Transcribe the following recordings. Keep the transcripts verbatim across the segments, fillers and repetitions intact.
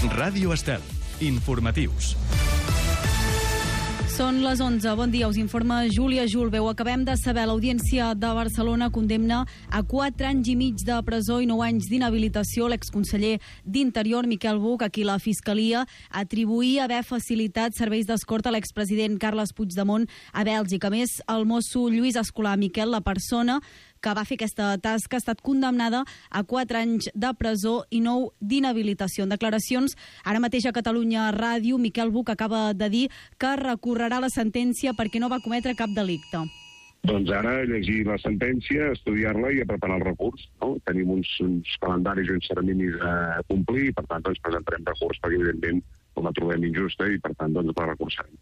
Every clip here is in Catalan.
Ràdio Estel. Informatius. Són les onze. Bon dia, us informa Júlia Julbeu. Acabem de saber, l'Audiència de Barcelona condemna a quatre anys i mig de presó i nou anys d'inhabilitació l'exconseller d'Interior, Miquel Buch, a qui la Fiscalia atribuïa haver facilitat serveis d'escorta a l'expresident Carles Puigdemont a Bèlgica. A més, el mosso Lluís Escolà Miquel, la persona que va fer aquesta tasca, ha estat condemnada a quatre anys de presó i nou d'inhabilitació. En declaracions ara mateix a Catalunya Ràdio, Miquel Buch acaba de dir que recorrerà la sentència perquè no va cometre cap delicte. Doncs ara llegir la sentència, estudiar-la i a preparar el recurs. No? Tenim uns, uns calendaris i uns terminis a complir i per tant doncs, presentarem recurs perquè evidentment la trobem injusta i per tant doncs, la recursarem.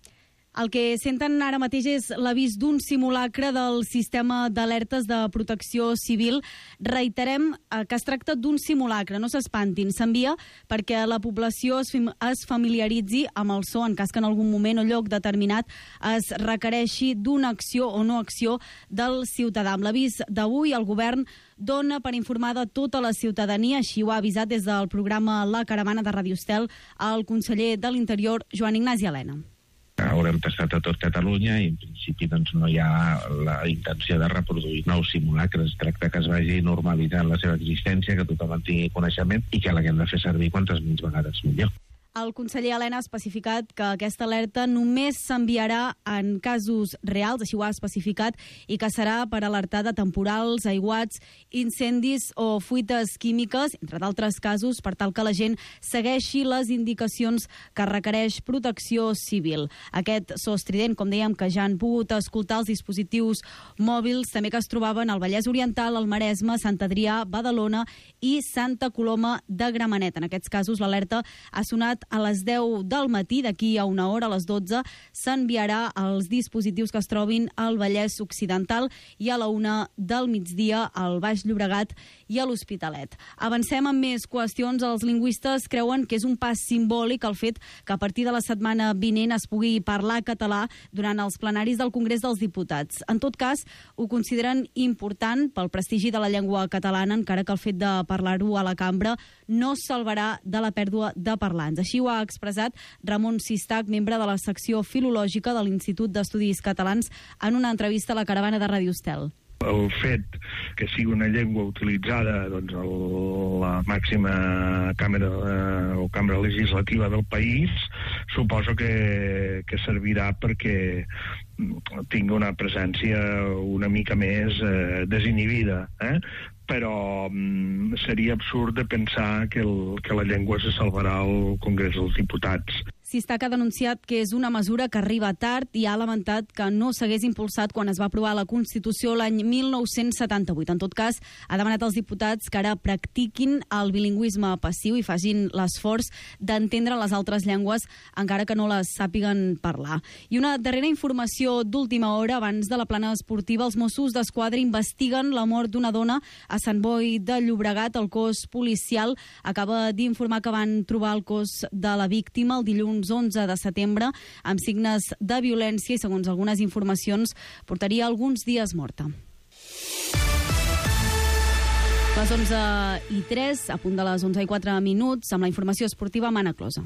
El que senten ara mateix és l'avís d'un simulacre del sistema d'alertes de protecció civil. Reiterem que es tracta d'un simulacre, no s'espantin. S'envia perquè la població es familiaritzi amb el so en cas que en algun moment o lloc determinat es requereixi d'una acció o no acció del ciutadà. Amb l'avís d'avui, el govern dona per informar de tota la ciutadania, així ho ha avisat des del programa La Caravana de Ràdio Estel el conseller de l'Interior, Joan Ignasi Elena. Haurem tastat a tot Catalunya i en principi doncs, no hi ha la intenció de reproduir nous simulacres. Es tracta que es vagi normalitzant la seva existència, que tothom en tingui coneixement i que l'haguem de fer servir quantes menys vegades millor. El conseller Elena ha especificat que aquesta alerta només s'enviarà en casos reals, així ho ha especificat, i que serà per alertar de temporals, aiguats, incendis o fuites químiques, entre d'altres casos, per tal que la gent segueixi les indicacions que requereix protecció civil. Aquest so estrident, com dèiem, que ja han pogut escoltar els dispositius mòbils, també que es trobaven al Vallès Oriental, al Maresme, Sant Adrià, Badalona i Santa Coloma de Gramenet. En aquests casos, l'alerta ha sonat a les deu del matí, d'aquí a una hora, a les dotze, s'enviarà als dispositius que es trobin al Vallès Occidental i a la una del migdia al Baix Llobregat i a l'Hospitalet. Avancem amb més qüestions. Els lingüistes creuen que és un pas simbòlic el fet que a partir de la setmana vinent es pugui parlar català durant els plenaris del Congrés dels Diputats. En tot cas, ho consideren important pel prestigi de la llengua catalana, encara que el fet de parlar-ho a la cambra no salvarà de la pèrdua de parlants. Així ho ha expressat Ramon Sistac, membre de la secció filològica de l'Institut d'Estudis Catalans, en una entrevista a la Caravana de Ràdio Estel. El fet que sigui una llengua utilitzada doncs, a la màxima càmera eh, o càmera legislativa del país suposo que, que servirà perquè tingui una presència una mica més eh, desinhibida, eh? Però mm, seria absurd de pensar que, el, que la llengua se salvarà al Congrés dels Diputats. Sistac ha denunciat que és una mesura que arriba tard i ha lamentat que no s'hagués impulsat quan es va aprovar la Constitució l'any mil nou-cents setanta-vuit. En tot cas, ha demanat als diputats que ara practiquin el bilingüisme passiu i facin l'esforç d'entendre les altres llengües, encara que no les sàpiguen parlar. I una darrera informació d'última hora, abans de la plana esportiva, els Mossos d'Esquadra investiguen la mort d'una dona a Sant Boi de Llobregat. El cos policial acaba d'informar que van trobar el cos de la víctima el dilluns onze de setembre amb signes de violència i, segons algunes informacions, portaria alguns dies morta. Les onze i tres, a punt de les onze i quatre minuts, amb la informació esportiva amb Anna Closa.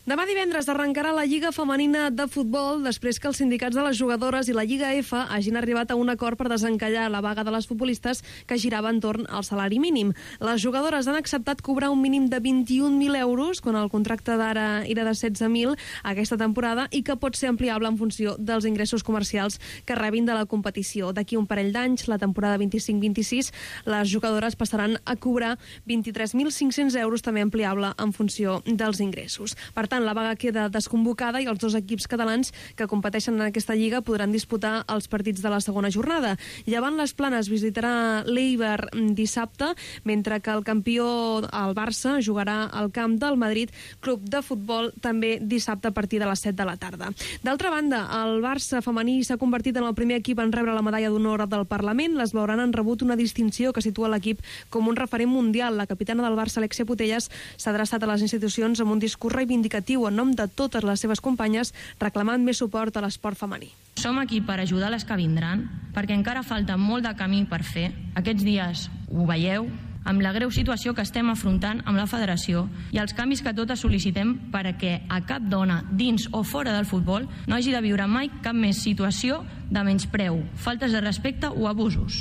Demà divendres arrencarà la Lliga Femenina de Futbol després que els sindicats de les jugadores i la Lliga F hagin arribat a un acord per desencallar la vaga de les futbolistes que girava entorn al salari mínim. Les jugadores han acceptat cobrar un mínim de vint-i-un mil euros, quan el contracte d'ara era de setze mil aquesta temporada, i que pot ser ampliable en funció dels ingressos comercials que rebin de la competició. D'aquí un parell d'anys, la temporada vint-i-cinc vint-i-sis, les jugadores passaran a cobrar vint-i-tres mil cinc-cents euros, també ampliable en funció dels ingressos. Per tant, la vaga queda desconvocada i els dos equips catalans que competeixen en aquesta lliga podran disputar els partits de la segona jornada. Llevant les Planes visitarà l'Eibar dissabte, mentre que el campió, el Barça, jugarà al camp del Madrid Club de Futbol també dissabte a partir de les set de la tarda. D'altra banda, el Barça femení s'ha convertit en el primer equip en rebre la medalla d'honor del Parlament. Les blaugranes han rebut una distinció que situa l'equip com un referent mundial. La capitana del Barça, Alexia Putellas, s'ha adreçat a les institucions amb un discurs reivindicatiu en nom de totes les seves companyes, reclamant més suport a l'esport femení. Som aquí per ajudar les que vindran, perquè encara falta molt de camí per fer. Aquests dies ho veieu, amb la greu situació que estem afrontant amb la federació i els canvis que totes sol·licitem perquè a cap dona, dins o fora del futbol, no hagi de viure mai cap més situació de menyspreu, faltes de respecte o abusos.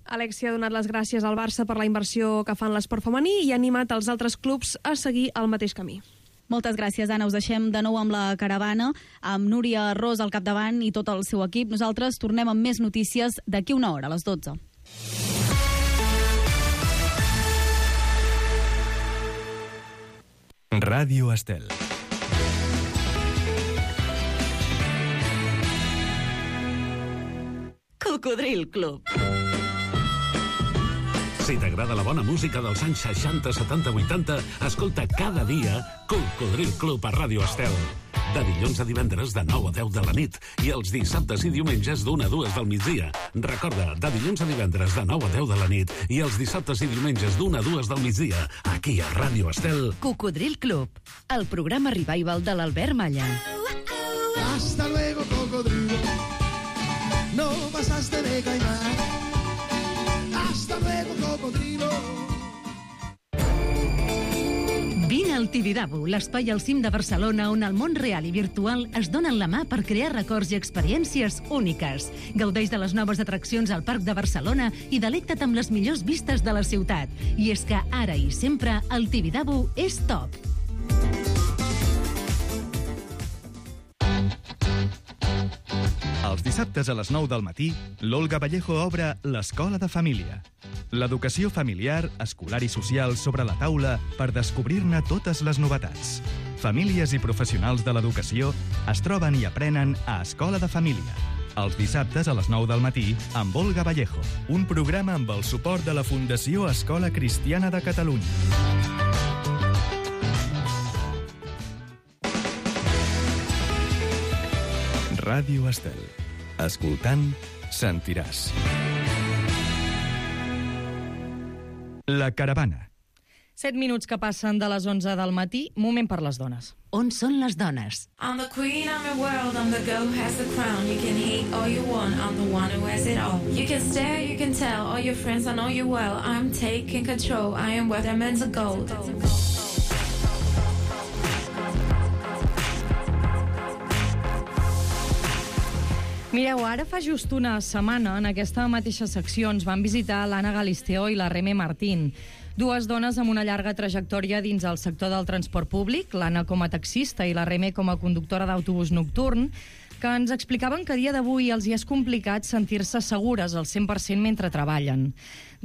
Alexia ha donat les gràcies al Barça per la inversió que fa en l'esport femení i ha animat els altres clubs a seguir el mateix camí. Moltes gràcies, Anna. Us deixem de nou amb la caravana, amb Núria Ros al capdavant i tot el seu equip. Nosaltres tornem amb més notícies d'aquí una hora, a les dotze. Ràdio Estel. Cocodril Club. Si t'agrada la bona música dels anys seixanta, setanta, vuitanta, escolta cada dia Cocodril Club a Ràdio Estel. De dilluns a divendres de nou a deu de la nit i els dissabtes i diumenges d'una a dues del migdia. Recorda, de dilluns a divendres de nou a deu de la nit i els dissabtes i diumenges d'una a dues del migdia, aquí a Ràdio Estel. Cocodril Club, el programa revival de l'Albert Malla. Hasta luego, cocodrilo. No pasaste de caimán. Hasta luego, cocodrilo. Vine al Tibidabo, l'espai al cim de Barcelona on el món real i virtual es donen la mà per crear records i experiències úniques. Gaudeix de les noves atraccions al Parc de Barcelona i delecta't amb les millors vistes de la ciutat. I és que ara i sempre el Tibidabo és top. Els dissabtes a les nou del matí, l'Olga Vallejo obre l'Escola de Família. L'educació familiar, escolar i social sobre la taula per descobrir-ne totes les novetats. Famílies i professionals de l'educació es troben i aprenen a Escola de Família. Els dissabtes a les nou del matí amb Olga Vallejo, un programa amb el suport de la Fundació Escola Cristiana de Catalunya. Ràdio Estel. Escoltant, sentiràs. La caravana. Set minuts que passen de les onze del matí, moment per les dones. On són les dones? I'm the queen, I'm your world, I'm the girl who has the crown. You can hate all you want, I'm the one who has it all. You can stare, you can tell, all your friends, I know you well. I'm taking control, I am worth diamonds of gold. Mireu, ara fa just una setmana, en aquesta mateixa secció, ens van visitar l'Anna Galisteo i la Reme Martín. Dues dones amb una llarga trajectòria dins el sector del transport públic, l'Anna com a taxista i la Reme com a conductora d'autobús nocturn, que ens explicaven que a dia d'avui els hi és complicat sentir-se segures al cent per cent mentre treballen.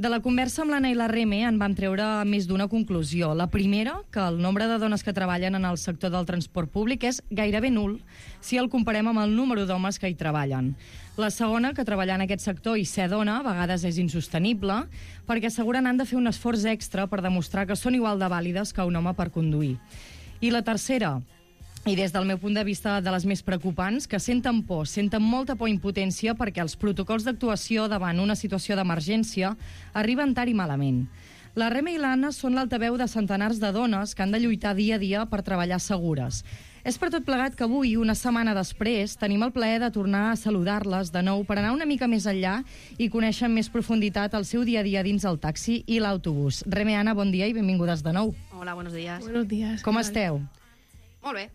De la conversa amb l'Anna i la Reme en vam treure més d'una conclusió. La primera, que el nombre de dones que treballen en el sector del transport públic és gairebé nul si el comparem amb el número d'homes que hi treballen. La segona, que treballar en aquest sector i ser dona a vegades és insostenible, perquè asseguren han de fer un esforç extra per demostrar que són igual de vàlides que un home per conduir. I la tercera, i des del meu punt de vista de les més preocupants, que senten por, senten molta por i impotència perquè els protocols d'actuació davant una situació d'emergència arriben tard i malament. La Reme i l'Anna són l'altaveu de centenars de dones que han de lluitar dia a dia per treballar segures. És per tot plegat que avui, una setmana després, tenim el plaer de tornar a saludar-les de nou per anar una mica més enllà i conèixer amb més profunditat el seu dia a dia dins el taxi i l'autobús. Reme, Anna, bon dia i benvingudes de nou. Hola, buenos días. Buenos días. Com esteu? Molt bé.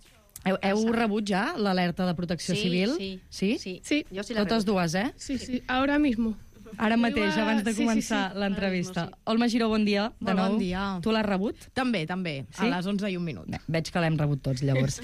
Heu, heu rebut ja l'alerta de protecció sí, civil? Sí, sí. Sí, sí. Jo sí la Totes rebut. dues, eh? Sí, sí, ara mismo. Ara mateix, abans de començar sí, sí. l'entrevista. Sí. Olma Giró, bon dia. De Molt nou. bon dia. Tu l'has rebut? També, també. Sí? A les onze i un minut. Bé, veig que l'hem rebut tots, llavors.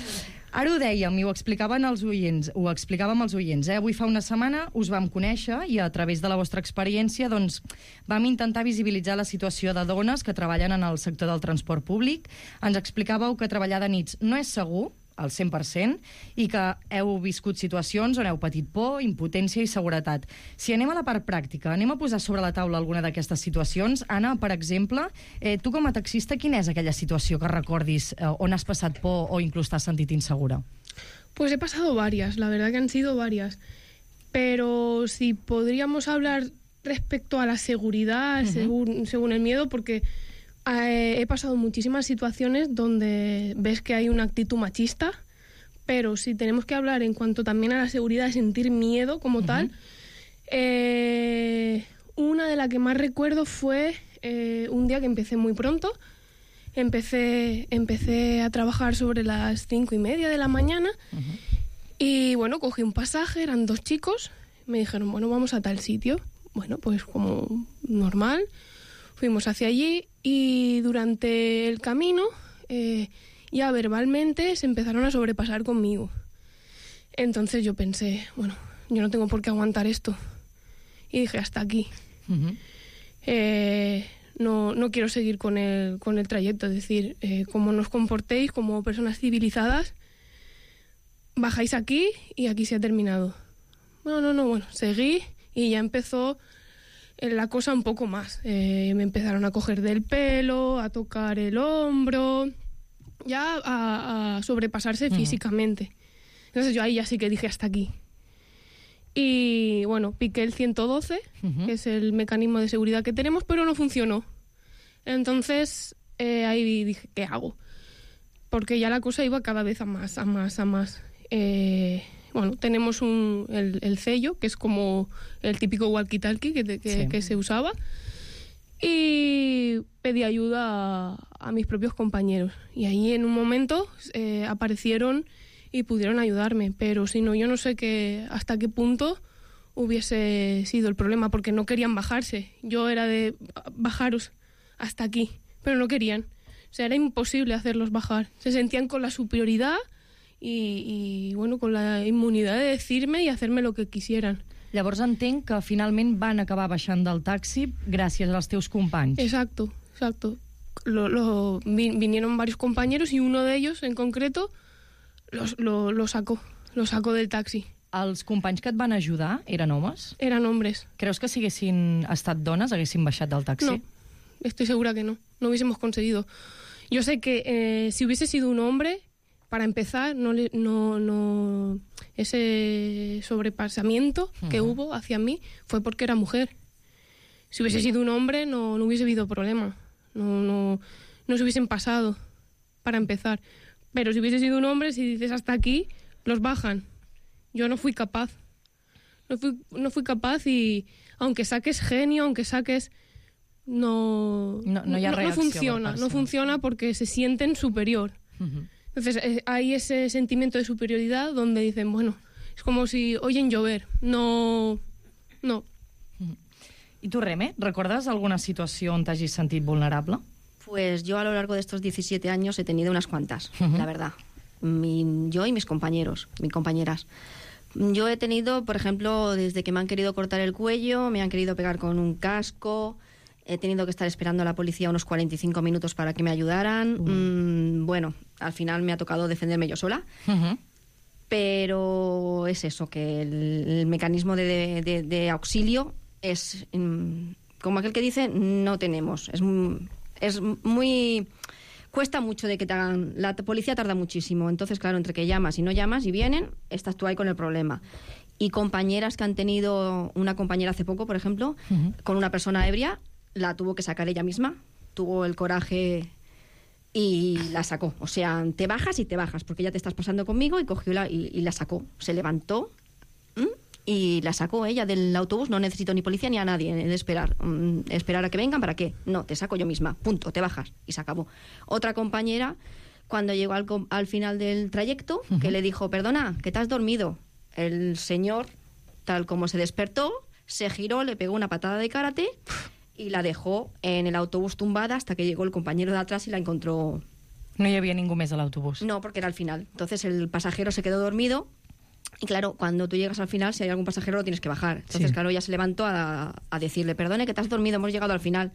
Ara ho dèiem i ho explicaven els oients, ho explicàvem als oients, eh? Avui fa una setmana us vam conèixer i a través de la vostra experiència doncs, vam intentar visibilitzar la situació de dones que treballen en el sector del transport públic. Ens explicàveu que treballar de nits no és segur, al cent per cent, i que heu viscut situacions on heu patit por, impotència i seguretat. Si anem a la part pràctica, anem a posar sobre la taula alguna d'aquestes situacions. Anna, per exemple, eh, tu com a taxista, quina és aquella situació que recordis eh, on has passat por o inclús t'has sentit insegura? Pues he pasado varias, la verdad que han sido varias. Pero si podríamos hablar respecto a la seguridad, uh-huh. según, según el miedo, porque Eh, he pasado muchísimas situaciones donde ves que hay una actitud machista, pero si tenemos que hablar en cuanto también a la seguridad, de sentir miedo como uh-huh. tal, eh, una de las que más recuerdo fue eh, un día que empecé muy pronto. Empecé, empecé a trabajar sobre las cinco y media de la mañana. Uh-huh. Y bueno, cogí un pasaje, eran dos chicos. Me dijeron, bueno, vamos a tal sitio. Bueno, pues como normal. Fuimos hacia allí y durante el camino eh, ya verbalmente se empezaron a sobrepasar conmigo. Entonces yo pensé, bueno, yo no tengo por qué aguantar esto. Y dije, hasta aquí. Uh-huh. Eh, no, no quiero seguir con el, con el trayecto. Es decir, eh, como nos comportéis como personas civilizadas, bajáis aquí y aquí se ha terminado. No, no, no, bueno, seguí y ya empezó la cosa un poco más. Eh, me empezaron a coger del pelo, a tocar el hombro, ya a, a sobrepasarse uh-huh. físicamente. Entonces yo ahí ya sí que dije hasta aquí. Y bueno, piqué el ciento doce, uh-huh. que es el mecanismo de seguridad que tenemos, pero no funcionó. Entonces eh, ahí dije, ¿qué hago? Porque ya la cosa iba cada vez a más, a más, a más. Eh, bueno, tenemos un, el, el sello, que es como el típico walkie-talkie que, que, sí. que se usaba. Y pedí ayuda a, a mis propios compañeros. Y ahí en un momento eh, aparecieron y pudieron ayudarme, pero si no, yo no sé qué, hasta qué punto hubiese sido el problema, porque no querían bajarse. Yo era de bajaros hasta aquí, pero no querían. O sea, era imposible hacerlos bajar. Se sentían con la superioridad y, y bueno, con la inmunidad de decirme y hacerme lo que quisieran. Llavors entenc que finalment van acabar baixant del taxi gràcies als teus companys. Exacto, exacto. Lo, lo, vinieron varios compañeros y uno de ellos en concreto Los, lo, lo sacó, lo sacó del taxi. Els companys que et van ajudar eren homes? Eran hombres. Creus que si haguessin estat dones haguessin baixat del taxi? No, estoy segura que no. No hubiésemos conseguido. Yo sé que eh, si hubiese sido un hombre, para empezar, no, no, no ese sobrepasamiento uh-huh. que hubo hacia mí fue porque era mujer. Si hubiese sido un hombre, no, no hubiese habido problema. No, no, no se hubiesen pasado, para empezar. Pero si hubiese sido un hombre, si dices hasta aquí, los bajan. Yo no fui capaz. No fui, no fui capaz y aunque saques genio, aunque saques... No, no, no, no, no funciona. No funciona porque se sienten superior. Uh-huh. Entonces eh, hay ese sentimiento de superioridad donde dicen, bueno, es como si oyen llover. No... no. Uh-huh. I tu, Reme, recordes alguna situació on t'hagis sentit vulnerable? Pues yo a lo largo de estos diecisiete años he tenido unas cuantas, uh-huh. la verdad. Mi, yo y mis compañeros, mis compañeras. Yo he tenido, por ejemplo, desde que me han querido cortar el cuello, me han querido pegar con un casco, he tenido que estar esperando a la policía unos cuarenta y cinco minutos para que me ayudaran. Uh-huh. Mm, bueno, al final me ha tocado defenderme yo sola. Uh-huh. Pero es eso, que el, el mecanismo de, de, de auxilio es, mm, como aquel que dice, no tenemos. Es... Es muy... Cuesta mucho de que te hagan... La policía tarda muchísimo. Entonces, claro, entre que llamas y no llamas y vienen, estás tú ahí con el problema. Y compañeras que han tenido... Una compañera hace poco, por ejemplo, uh-huh. con una persona ebria, la tuvo que sacar ella misma. Tuvo el coraje y la sacó. O sea, te bajas y te bajas, porque ya te estás pasando conmigo, y cogió la, y, y la sacó. Se levantó... ¿Mm? Y la sacó ella del autobús. No necesito ni policía ni a nadie de esperar. Mm, esperar a que vengan, ¿para qué? No, te saco yo misma, punto, te bajas y se acabó. Otra compañera, cuando llegó al, al final del trayecto, uh-huh. que le dijo, perdona, que te has dormido. El señor, tal como se despertó, se giró, le pegó una patada de karate y la dejó en el autobús tumbada hasta que llegó el compañero de atrás y la encontró. No hi havia ningú més a l'autobús? No, porque era al final. Entonces el pasajero se quedó dormido. Y claro, cuando tú llegas al final, si hay algún pasajero lo tienes que bajar. Entonces, sí. claro, ella se levantó a, a decirle, perdone que te has dormido, hemos llegado al final.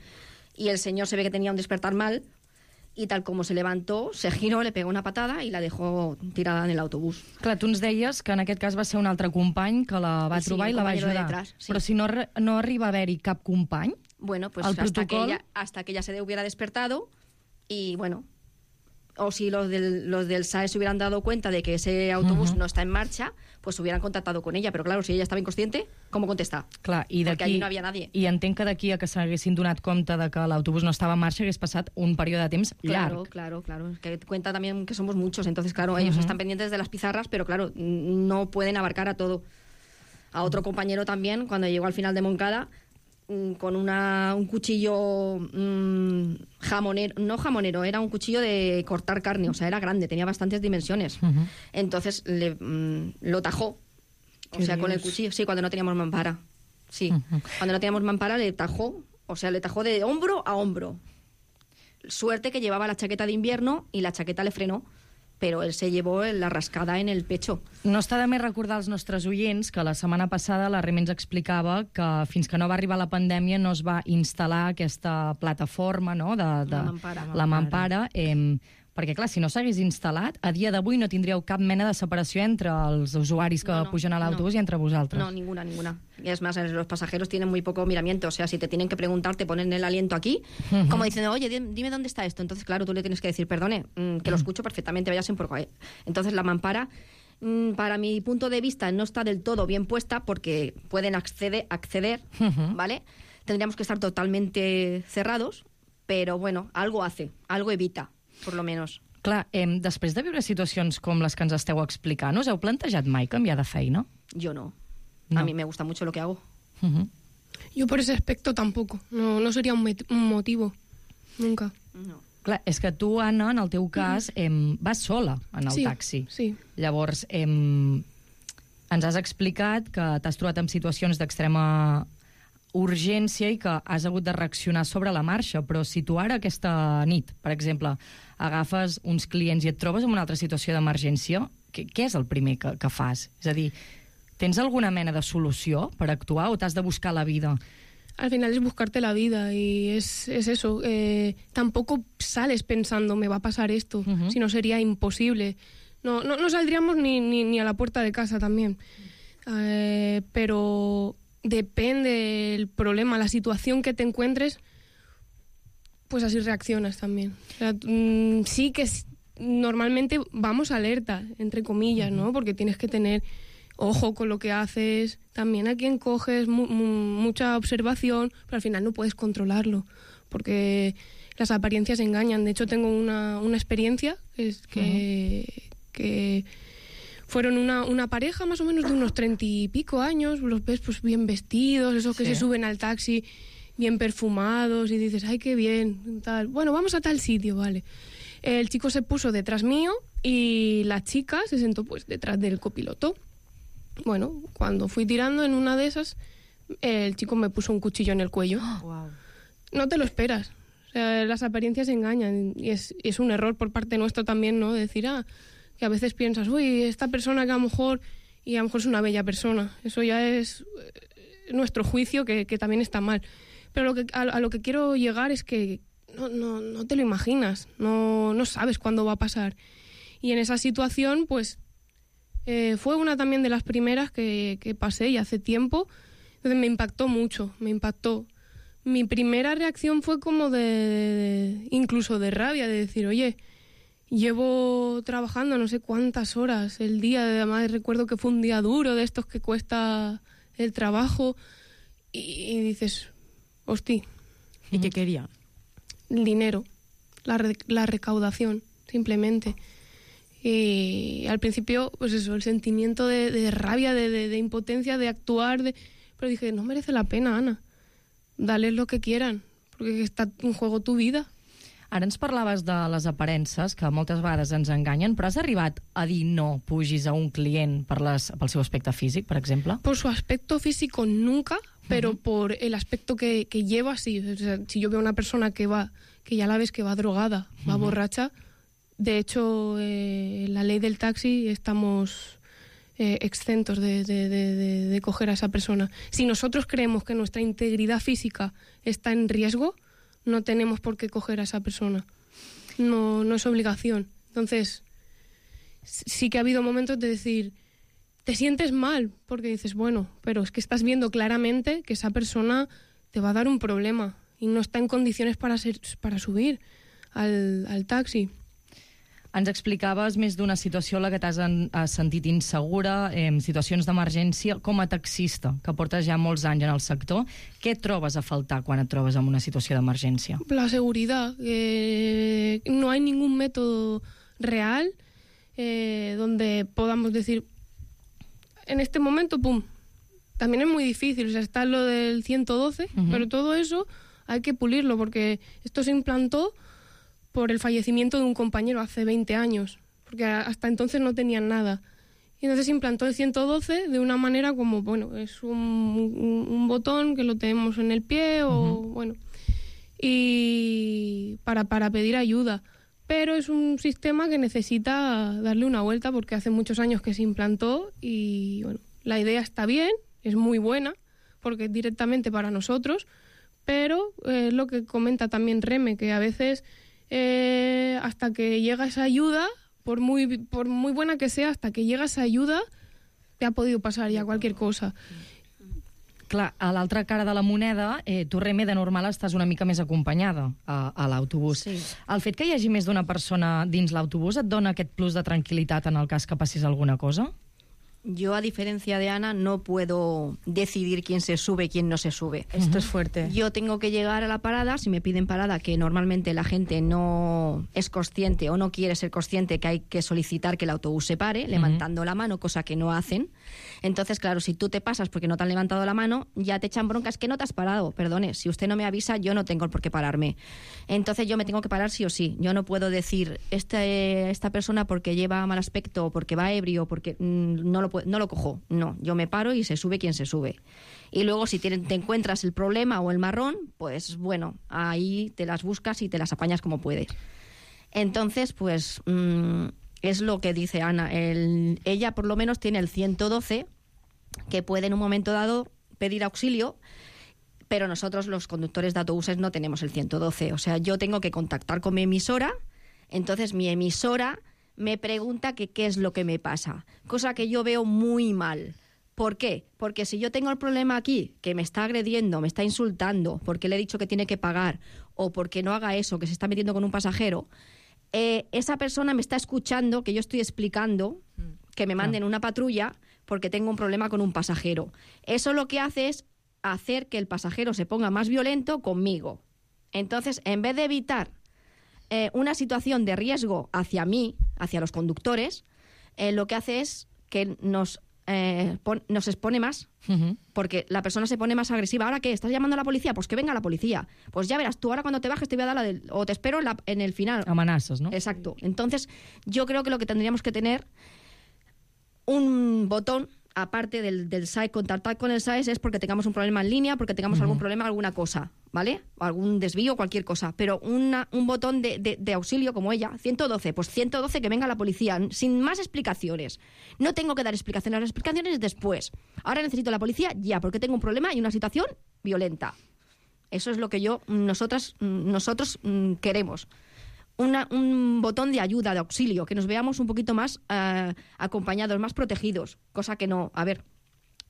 Y el señor se ve que tenía un despertar mal, y tal como se levantó, se giró, le pegó una patada i la dejó tirada en el autobús. Clar, tu ens deies que en aquest cas va ser un altre company que la va sí, trobar i la va ajudar. Detrás, sí. Però si no, no arriba a haver-hi cap company, bueno, pues hasta protocol... que, ella, hasta que ella se hubiera despertado y bueno... O si los del, los del S A E se hubieran dado cuenta de que ese autobús uh-huh. no está en marcha, pues hubieran contactado con ella. Pero claro, si ella estava inconsciente, com contestar? Clar, i Perquè allí no havia nadie. I entenc que d'aquí a que s'haguessin donat compte de que l'autobús no estava en marxa hagués passat un període de temps claro, llarg. Claro, claro, claro. Que cuenta también que somos muchos. Entonces, claro, ellos uh-huh. están pendientes de las pizarras, pero claro, no pueden abarcar a todo. A otro compañero también, cuando llegó al final de Moncada, con una, un cuchillo mmm, jamonero, no jamonero, era un cuchillo de cortar carne, o sea, era grande, tenía bastantes dimensiones. Uh-huh. Entonces le, mmm, lo tajó, o sea, Dios. Con el cuchillo, sí, cuando no teníamos mampara. Sí, uh-huh. Cuando no teníamos mampara le tajó, o sea, le tajó de hombro a hombro. Suerte que llevaba la chaqueta de invierno y la chaqueta le frenó, però ell se llevó la rascada en el pecho. No està de més recordar als nostres oients que la setmana passada la Reme ens explicava que fins que no va arribar la pandèmia no es va instal·lar aquesta plataforma, no?, de, de la mampara. La mampara eh, perquè, clar, si no s'hagués instal·lat, a dia d'avui no tindríeu cap mena de separació entre els usuaris que no, no, pugen a l'autobús no. i entre vosaltres. No, ninguna, ninguna. Y es más, los pasajeros tienen muy poco miramiento. O sea, si te tienen que preguntar, te ponen el aliento aquí, uh-huh. como diciendo, oye, dime dónde está esto. Entonces, claro, tú le tienes que decir, perdone, mmm, que lo escucho perfectamente, vayas en por ahí. Entonces, la mampara, mmm, para mi punto de vista, no está del todo bien puesta porque pueden acceder, acceder uh-huh. ¿vale? Tendríamos que estar totalmente cerrados, pero bueno, algo hace, algo evita, por lo menos. Clar, eh, després de viure situacions com les que ens esteu explicant, us heu plantejat mai canviar de feina? Yo no. no. A mí me gusta mucho lo que hago. Uh-huh. Yo por ese aspecto tampoco. No, no sería un, un motivo. Nunca. No. Clar, és que tu, Anna, en el teu cas, eh, vas sola en el sí, taxi. Sí. Llavors, eh, ens has explicat que t'has trobat en situacions d'extrema urgència i que has hagut de reaccionar sobre la marxa, però si tu ara aquesta nit, per exemple, agafes uns clients i et trobes en una altra situació d'emergència, què, què és el primer que, que fas? És a dir, tens alguna mena de solució per actuar o t'has de buscar la vida? Al final es buscarte la vida y es, es eso. Eh, tampoco sales pensando, me va a pasar esto, uh-huh. si no sería imposible. No, no, no saldríamos ni, ni, ni a la puerta de casa también. Eh, pero depende el problema, la situación que te encuentres, pues así reaccionas también. O sea, mmm, sí que es, normalmente vamos alerta, entre comillas, ¿no? Porque tienes que tener ojo con lo que haces, también a quién coges, mu mu mucha observación, pero al final no puedes controlarlo, porque las apariencias engañan. De hecho, tengo una, una experiencia que, es que, uh-huh. que fueron una, una pareja más o menos de unos treinta y pico años, los ves pues bien vestidos, esos que sí. se suben al taxi bien perfumados y dices, ay, qué bien, tal. Bueno, vamos a tal sitio, vale. El chico se puso detrás mío y la chica se sentó pues detrás del copiloto. Bueno, cuando fui tirando en una de esas, el chico me puso un cuchillo en el cuello. Wow. No te lo esperas. O sea, las apariencias engañan y es, es un error por parte nuestro también, ¿no? Decir, ah, que a veces piensas, uy, esta persona que a lo mejor, y a lo mejor es una bella persona. Eso ya es nuestro juicio, que, que también está mal. Pero lo que, a, a lo que quiero llegar es que no, no, no te lo imaginas, no, no sabes cuándo va a pasar. Y en esa situación, pues, eh, fue una también de las primeras que, que pasé y hace tiempo. Entonces me impactó mucho, me impactó. Mi primera reacción fue como de, de incluso de rabia, de decir, oye, llevo trabajando no sé cuántas horas el día, además recuerdo que fue un día duro, de estos que cuesta el trabajo, y, y dices, hostia. ¿Y qué quería? El dinero, la, re, la recaudación, simplemente. Y al principio, pues eso, el sentimiento de, de rabia, de, de, de impotencia, de actuar, de... pero dije, no merece la pena, Ana, dales lo que quieran, perquè està en juego tu vida. Ara ens parlaves de les aparences, que moltes vegades ens enganyen, però has arribat a dir no pugis a un client per les, pel seu aspecte físic, per exemple? Por su aspecto físico nunca, pero uh-huh. por el aspecto que, que lleva, sí. O sea, si yo veo una persona que va, que ya la ves que va drogada, va uh-huh. borracha, de hecho, eh, la ley del taxi estamos eh, exentos de, de, de, de, de coger a esa persona. Si nosotros creemos que nuestra integridad física está en riesgo, no tenemos por qué coger a esa persona. No, no es obligación. Entonces, sí que ha habido momentos de decir, te sientes mal, porque dices, bueno, pero es que estás viendo claramente que esa persona te va a dar un problema y no está en condiciones para, ser, para subir al, al taxi. Ens explicaves més d'una situació en la que t'has sentit insegura, eh, situacions d'emergència, com a taxista, que portes ja molts anys en el sector. Què trobes a faltar quan et trobes en una situació d'emergència? La seguridad. Eh, no hay ningún método real eh, donde podamos decir, en este momento, pum, también es muy difícil. O sea, está lo del ciento doce, uh-huh. pero todo eso hay que pulirlo, porque esto se implantó por el fallecimiento de un compañero hace veinte años, porque hasta entonces no tenían nada. Y entonces se implantó el ciento doce de una manera como, bueno, es un, un, un botón que lo tenemos en el pie o, uh-huh. bueno, y para, para pedir ayuda. Pero es un sistema que necesita darle una vuelta porque hace muchos años que se implantó y, bueno, la idea está bien, es muy buena, porque es directamente para nosotros, pero es eh, lo que comenta también Reme, que a veces eh, hasta que llega esa ayuda... Por muy, por muy buena que sea, hasta que llega esa ayuda, te ha podido passar ja qualsevol cosa. Clar, a l'altra cara de la moneda, eh, tu, Reme, de normal estàs una mica més acompanyada a, a l'autobús. Sí. El fet que hi hagi més d'una persona dins l'autobús et dona aquest plus de tranquil·litat en el cas que passis alguna cosa? Yo, a diferencia de Ana, no puedo decidir quién se sube y quién no se sube. Esto es fuerte. Yo tengo que llegar a la parada, si me piden parada, que normalmente la gente no es consciente o no quiere ser consciente que hay que solicitar que el autobús se pare, levantando uh-huh. la mano, cosa que no hacen. Entonces, claro, si tú te pasas porque no te han levantado la mano, ya te echan broncas que no te has parado. Perdone, si usted no me avisa, yo no tengo por qué pararme. Entonces yo me tengo que parar sí o sí. Yo no puedo decir, este, esta persona porque lleva mal aspecto, porque va ebrio, porque mmm, no lo no lo cojo, no, yo me paro y se sube quien se sube. Y luego si te, te encuentras el problema o el marrón, pues bueno, ahí te las buscas y te las apañas como puedes. Entonces, pues mmm, es lo que dice Ana, el, ella por lo menos tiene el ciento doce, que puede en un momento dado pedir auxilio, pero nosotros los conductores de autobuses no tenemos el ciento doce, o sea, yo tengo que contactar con mi emisora, entonces mi emisora me pregunta que qué es lo que me pasa, cosa que yo veo muy mal. ¿Por qué? Porque si yo tengo el problema aquí, que me está agrediendo, me está insultando, porque le he dicho que tiene que pagar, o porque no haga eso, que se está metiendo con un pasajero, eh, esa persona me está escuchando, que yo estoy explicando, que me manden una patrulla porque tengo un problema con un pasajero. Eso lo que hace es hacer que el pasajero se ponga más violento conmigo. Entonces, en vez de evitar Eh, una situación de riesgo hacia mí, hacia los conductores, eh, lo que hace es que nos, eh, pon, nos expone más, uh-huh. porque la persona se pone más agresiva. ¿Ahora qué? ¿Estás llamando a la policía? Pues que venga la policía. Pues ya verás, tú ahora cuando te bajes te voy a dar la del... o te espero en, la, en el final. Amenazas, ¿no? Exacto. Entonces, yo creo que lo que tendríamos que tener un botón, aparte del, del S A E, contactar con el S A E es porque tengamos un problema en línea, porque tengamos uh-huh. algún problema, alguna cosa, ¿vale? O algún desvío, cualquier cosa. Pero una, un botón de, de, de auxilio como ella, ciento doce, pues ciento doce, que venga la policía, sin más explicaciones. No tengo que dar explicaciones, las explicaciones después. Ahora necesito la policía ya, porque tengo un problema y una situación violenta. Eso es lo que yo, nosotras, nosotros queremos. Una, un botón de ayuda, de auxilio, que nos veamos un poquito más uh, acompañados, más protegidos, cosa que no, a ver,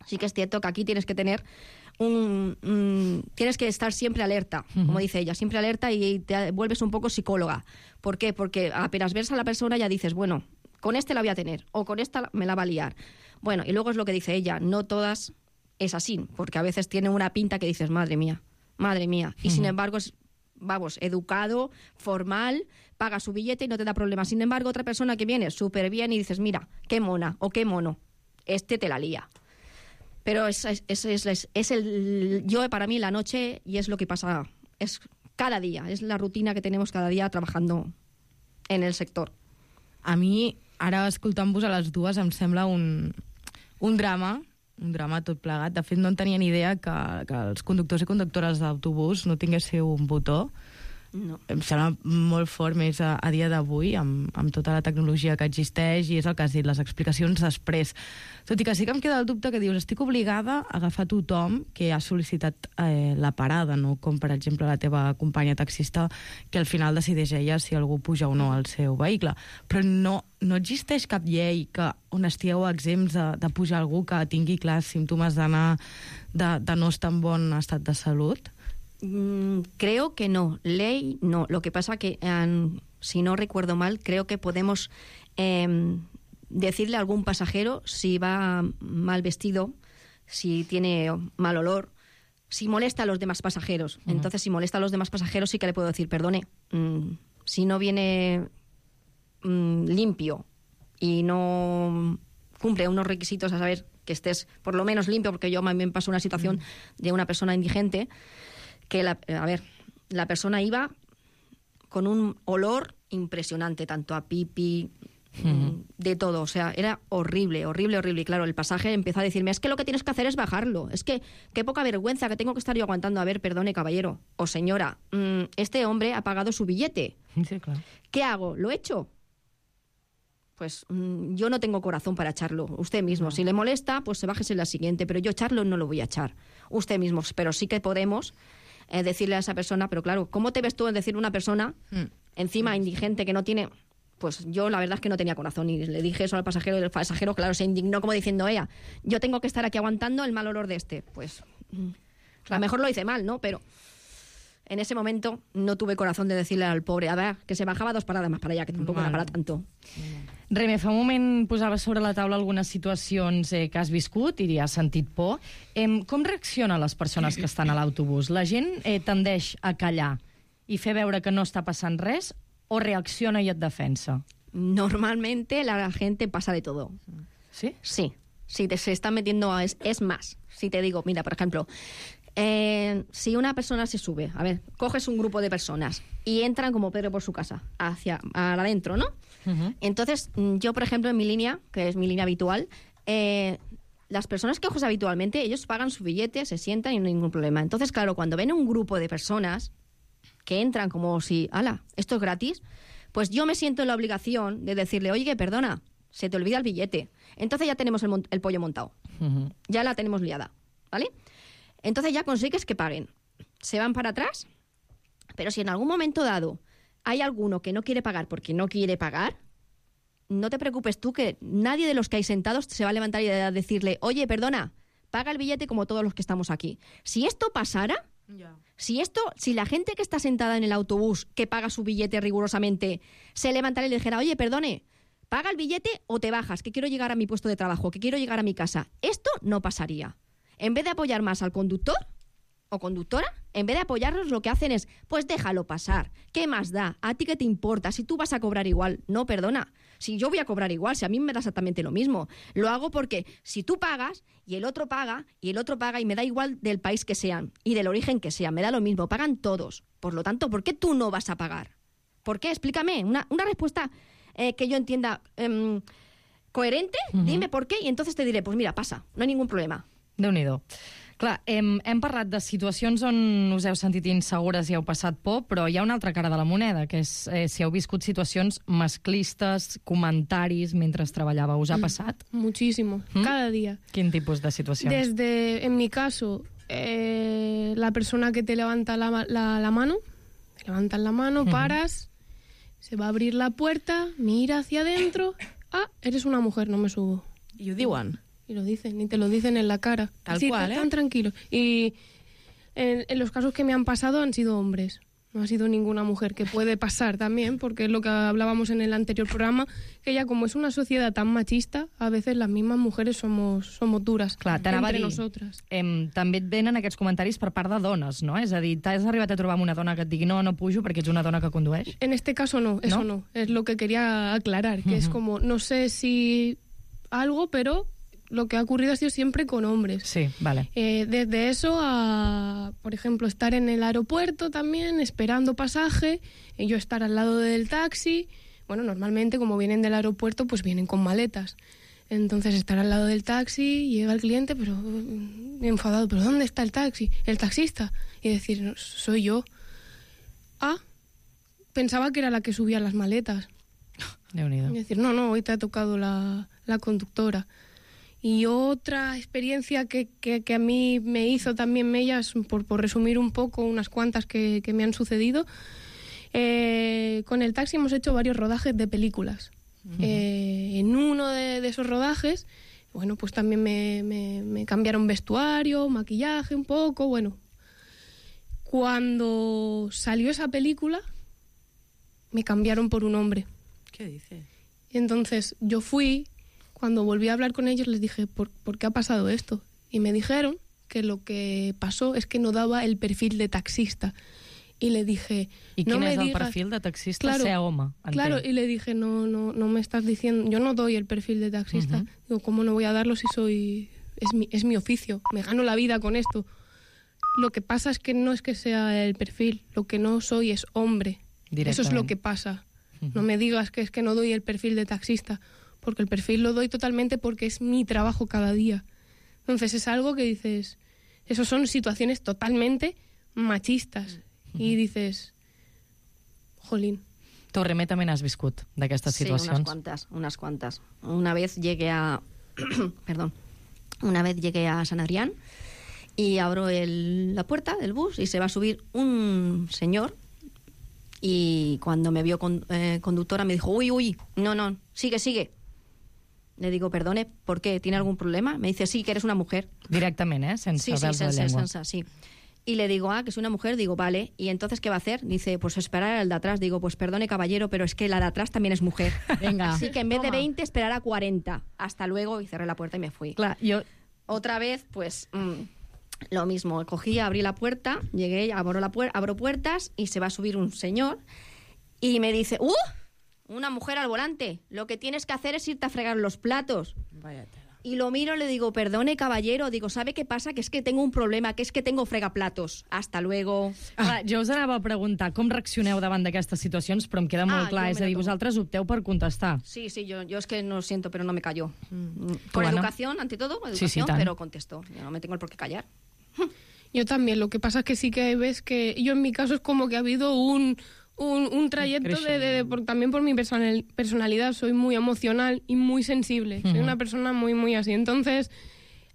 sí que es cierto que aquí tienes que tener un, un tienes que estar siempre alerta, uh-huh. como dice ella, siempre alerta y te vuelves un poco psicóloga. ¿Por qué? Porque apenas ves a la persona ya dices, bueno, con este la voy a tener, o con esta me la va a liar. Bueno, y luego es lo que dice ella, no todas es así, porque a veces tiene una pinta que dices, madre mía, madre mía, y uh-huh. sin embargo es, vamos, educado, formal, paga su billete y no te da problemas. Sin embargo, otra persona que viene súper bien y dices, mira, qué mona o qué mono, este te la lía. Pero es, es, es, es, es el yo para mí la noche, y es lo que pasa, es cada día, es la rutina que tenemos cada día trabajando en el sector. A mi, ara escoltant-vos a les dues, em sembla un, un drama, un drama tot plegat. De fet, no en tenia ni idea que, que els conductors i conductores d'autobús no tinguéssiu un botó. No. Em sembla molt fort més a, a dia d'avui, amb, amb tota la tecnologia que existeix, i és el que has dit, les explicacions després. Tot i que sí que em queda el dubte que dius, estic obligada a agafar tothom que ha sol·licitat eh, la parada, no com per exemple la teva companya taxista, que al final decideix ella si algú puja o no al seu vehicle. Però no, no existeix cap llei que, on estigueu exempts de, de pujar algú que tingui clars símptomes d'anar de, de no estar en bon estat de salut? Mm, creo que no, ley no. Lo que pasa que, um, si no recuerdo mal, creo que podemos eh, decirle a algún pasajero si va mal vestido, si tiene mal olor, si molesta a los demás pasajeros. Uh-huh. Entonces, si molesta a los demás pasajeros, sí que le puedo decir, perdone, mmm, si no viene mmm, limpio y no cumple unos requisitos, a saber, que estés por lo menos limpio, porque yo me pasó una situación mm. de una persona indigente, que, la, a ver, la persona iba con un olor impresionante, tanto a pipi, mm. de todo, o sea, era horrible, horrible, horrible. Y claro, el pasaje empezó a decirme, es que lo que tienes que hacer es bajarlo, es que qué poca vergüenza que tengo que estar yo aguantando. A ver, perdone, caballero o señora, mmm, este hombre ha pagado su billete. Sí, claro. ¿Qué hago? ¿Lo echo? Pues mmm, yo no tengo corazón para echarlo. Usted mismo, no. Si le molesta, pues se bájese la siguiente, pero yo echarlo no lo voy a echar. Usted mismo, pero sí que podemos eh, decirle a esa persona, pero claro, ¿cómo te ves tú en decirle a una persona, mm. encima mm. indigente, que no tiene... Pues yo la verdad es que no tenía corazón y le dije eso al pasajero y el pasajero, claro, se indignó como diciendo, ella, yo tengo que estar aquí aguantando el mal olor de este. Pues claro. A lo mejor lo hice mal, ¿no? Pero en ese momento no tuve corazón de decirle al pobre, a ver, que se bajaba dos paradas más para allá, que tampoco era para tanto. Reme, fa un moment posaves sobre la taula algunes situacions eh, que has viscut i has sentit por. Eh, com reaccionen les persones que estan a l'autobús? La gent eh, tendeix a callar i fer veure que no està passant res, o reacciona y es defensa? Normalmente la gente pasa de todo. ¿Sí? Sí. Si te se están metiendo... A, es, es más, si te digo, mira, por ejemplo, eh, si una persona se sube, a ver, coges un grupo de personas y entran como Pedro por su casa, hacia adentro, ¿no? Uh-huh. Entonces, yo, por ejemplo, en mi línea, que es mi línea habitual, eh, las personas que coges habitualmente, ellos pagan su billete, se sientan y no hay ningún problema. Entonces, claro, cuando ven un grupo de personas que entran como si, ala, esto es gratis, pues yo me siento en la obligación de decirle, oye, perdona, se te olvida el billete. Entonces ya tenemos el, el pollo montado. Uh-huh. Ya la tenemos liada, ¿vale? Entonces ya consigues que paguen. Se van para atrás, pero si en algún momento dado hay alguno que no quiere pagar porque no quiere pagar, no te preocupes tú, que nadie de los que hay sentados se va a levantar y a decirle, oye, perdona, paga el billete como todos los que estamos aquí. Si esto pasara... Yeah. Si esto, si la gente que está sentada en el autobús, que paga su billete rigurosamente, se levantara y le dijera, oye, perdone, paga el billete o te bajas, que quiero llegar a mi puesto de trabajo, que quiero llegar a mi casa, esto no pasaría. En vez de apoyar más al conductor o conductora, en vez de apoyarlos, lo que hacen es, pues déjalo pasar, ¿qué más da? ¿A ti qué te importa? Si tú vas a cobrar igual, no, perdona, si yo voy a cobrar igual, si a mí me da exactamente lo mismo. Lo hago porque si tú pagas y el otro paga y el otro paga, y me da igual del país que sean y del origen que sean, me da lo mismo, pagan todos. Por lo tanto, ¿por qué tú no vas a pagar? ¿Por qué? Explícame, una, una respuesta eh, que yo entienda eh, coherente, uh-huh. Dime por qué y entonces te diré, pues mira, pasa, no hay ningún problema. Déu-n'hi-do. Clar, hem, hem parlat de situacions on us heu sentit insegures i heu passat por, però hi ha una altra cara de la moneda, que és eh, si heu viscut situacions masclistes, comentaris mentre treballava. Us ha passat? Muchísimo, ¿Mm? Cada día. Quin tipus de situacions? Desde, en mi caso, eh, la persona que te levanta la, la, la mano, te levantan la mano, paras, uh-huh. Se va a abrir la puerta, mira hacia adentro, ah, eres una mujer, no me subo. I ho diuen? Y lo dicen, y te lo dicen en la cara. Tal sí, cual, ¿eh? Tan tranquilo. Y en, en los casos que me han pasado han sido hombres. No ha sido ninguna mujer, que puede pasar también, porque es lo que hablábamos en el anterior programa, que ya como es una sociedad tan machista, a veces las mismas mujeres somos, somos duras. Clar, entre dir, nosotras. Em, també et venen aquests comentaris per part de dones, no? És a dir, t'has arribat a trobar amb una dona que et digui no, no pujo perquè ets una dona que condueix? En este caso no, eso no. no. Es lo que quería aclarar, que uh-huh. Es como, no sé si algo, pero... Lo que ha ocurrido ha sido siempre con hombres. Sí, vale. Eh, desde eso a, por ejemplo, estar en el aeropuerto también, esperando pasaje, y yo estar al lado del taxi. Bueno, normalmente, como vienen del aeropuerto, pues vienen con maletas. Entonces, estar al lado del taxi, llega el cliente, pero enfadado, ¿pero dónde está el taxi? El taxista. Y decir, no, soy yo. Ah, pensaba que era la que subía las maletas. Déu-n'hi-do. Y decir, no, no, hoy te ha tocado la, la conductora. Y otra experiencia que, que, que a mí me hizo también Mellas, por, por resumir un poco unas cuantas que, que me han sucedido, eh, con el taxi hemos hecho varios rodajes de películas. Uh-huh. Eh, en uno de, de esos rodajes, bueno, pues también me, me, me cambiaron vestuario, maquillaje un poco, bueno. Cuando salió esa película, me cambiaron por un hombre. ¿Qué dices? Y entonces yo fui... Cuando volví a hablar con ellos les dije, ¿por, ¿por qué ha pasado esto? Y me dijeron que lo que pasó es que no daba el perfil de taxista. Y le dije... ¿Y no quién me es el digas... perfil de taxista? Claro, sea home. Claro, y le dije, no, no, no me estás diciendo... Yo no doy el perfil de taxista. Uh-huh. Digo, ¿cómo no voy a darlo si soy es mi, es mi oficio, me gano la vida con esto. Lo que pasa es que no es que sea el perfil, lo que no soy es hombre. Eso es lo que pasa. Uh-huh. No me digas que es que no doy el perfil de taxista, porque el perfil lo doy totalmente porque es mi trabajo cada día. Entonces es algo que dices, esas son situaciones totalmente machistas. Uh-huh. I dices, jolín. Tu, Remé, també n'has viscut d'aquestes situacions? Sí, unas cuantas, unas cuantas. Una vez llegué a... perdón. Una vez llegué a San Adrián y abro el, la puerta del bus y se va a subir un señor y cuando me vio con, eh, conductora me dijo, uy, uy, no, no, sigue, sigue. Le digo, perdone, ¿por qué? ¿Tiene algún problema? Me dice, sí, que eres una mujer. Directamente, ¿eh? Sense sí, sí, pèls de sense, llengua. sense, sí. Y le digo, ah, que soy una mujer, digo, vale. ¿Y entonces qué va a hacer? Dice, pues esperar al de atrás. Digo, pues perdone, caballero, pero es que la de atrás también es mujer. Venga. Así que en vez Toma. de veinte, esperar a cuarenta. Hasta luego, y cerré la puerta y me fui. Clar, jo... Otra vez, pues, mmm, lo mismo. Cogí, abrí la puerta, llegué, abro, la puer- abro puertas y se va a subir un señor y me dice, ¡uh! Una mujer al volante. Lo que tienes que hacer es irte a fregar los platos. Vaya. Y lo miro y le digo, perdone, caballero. Digo, ¿sabe qué pasa? Que es que tengo un problema, que es que tengo fregaplatos. Hasta luego. Ah, jo us anava a preguntar com reaccioneu davant d'aquestes situacions, però em queda molt Ah, clar, jo és me a dir, la tomo. vosaltres opteu per contestar. Sí, sí, yo, yo es que no siento, pero no me callo. Mm. ¿Tú, Por Ana? educación, ante todo, educación, Sí, sí, tan. pero contesto. Yo no me tengo el por qué callar. Yo también, lo que pasa es que sí que ves que yo en mi caso es como que ha habido un, un, un trayecto de, de, de- por- también por mi personal- personalidad, soy muy emocional y muy sensible, soy Ujú. una persona muy, muy así, entonces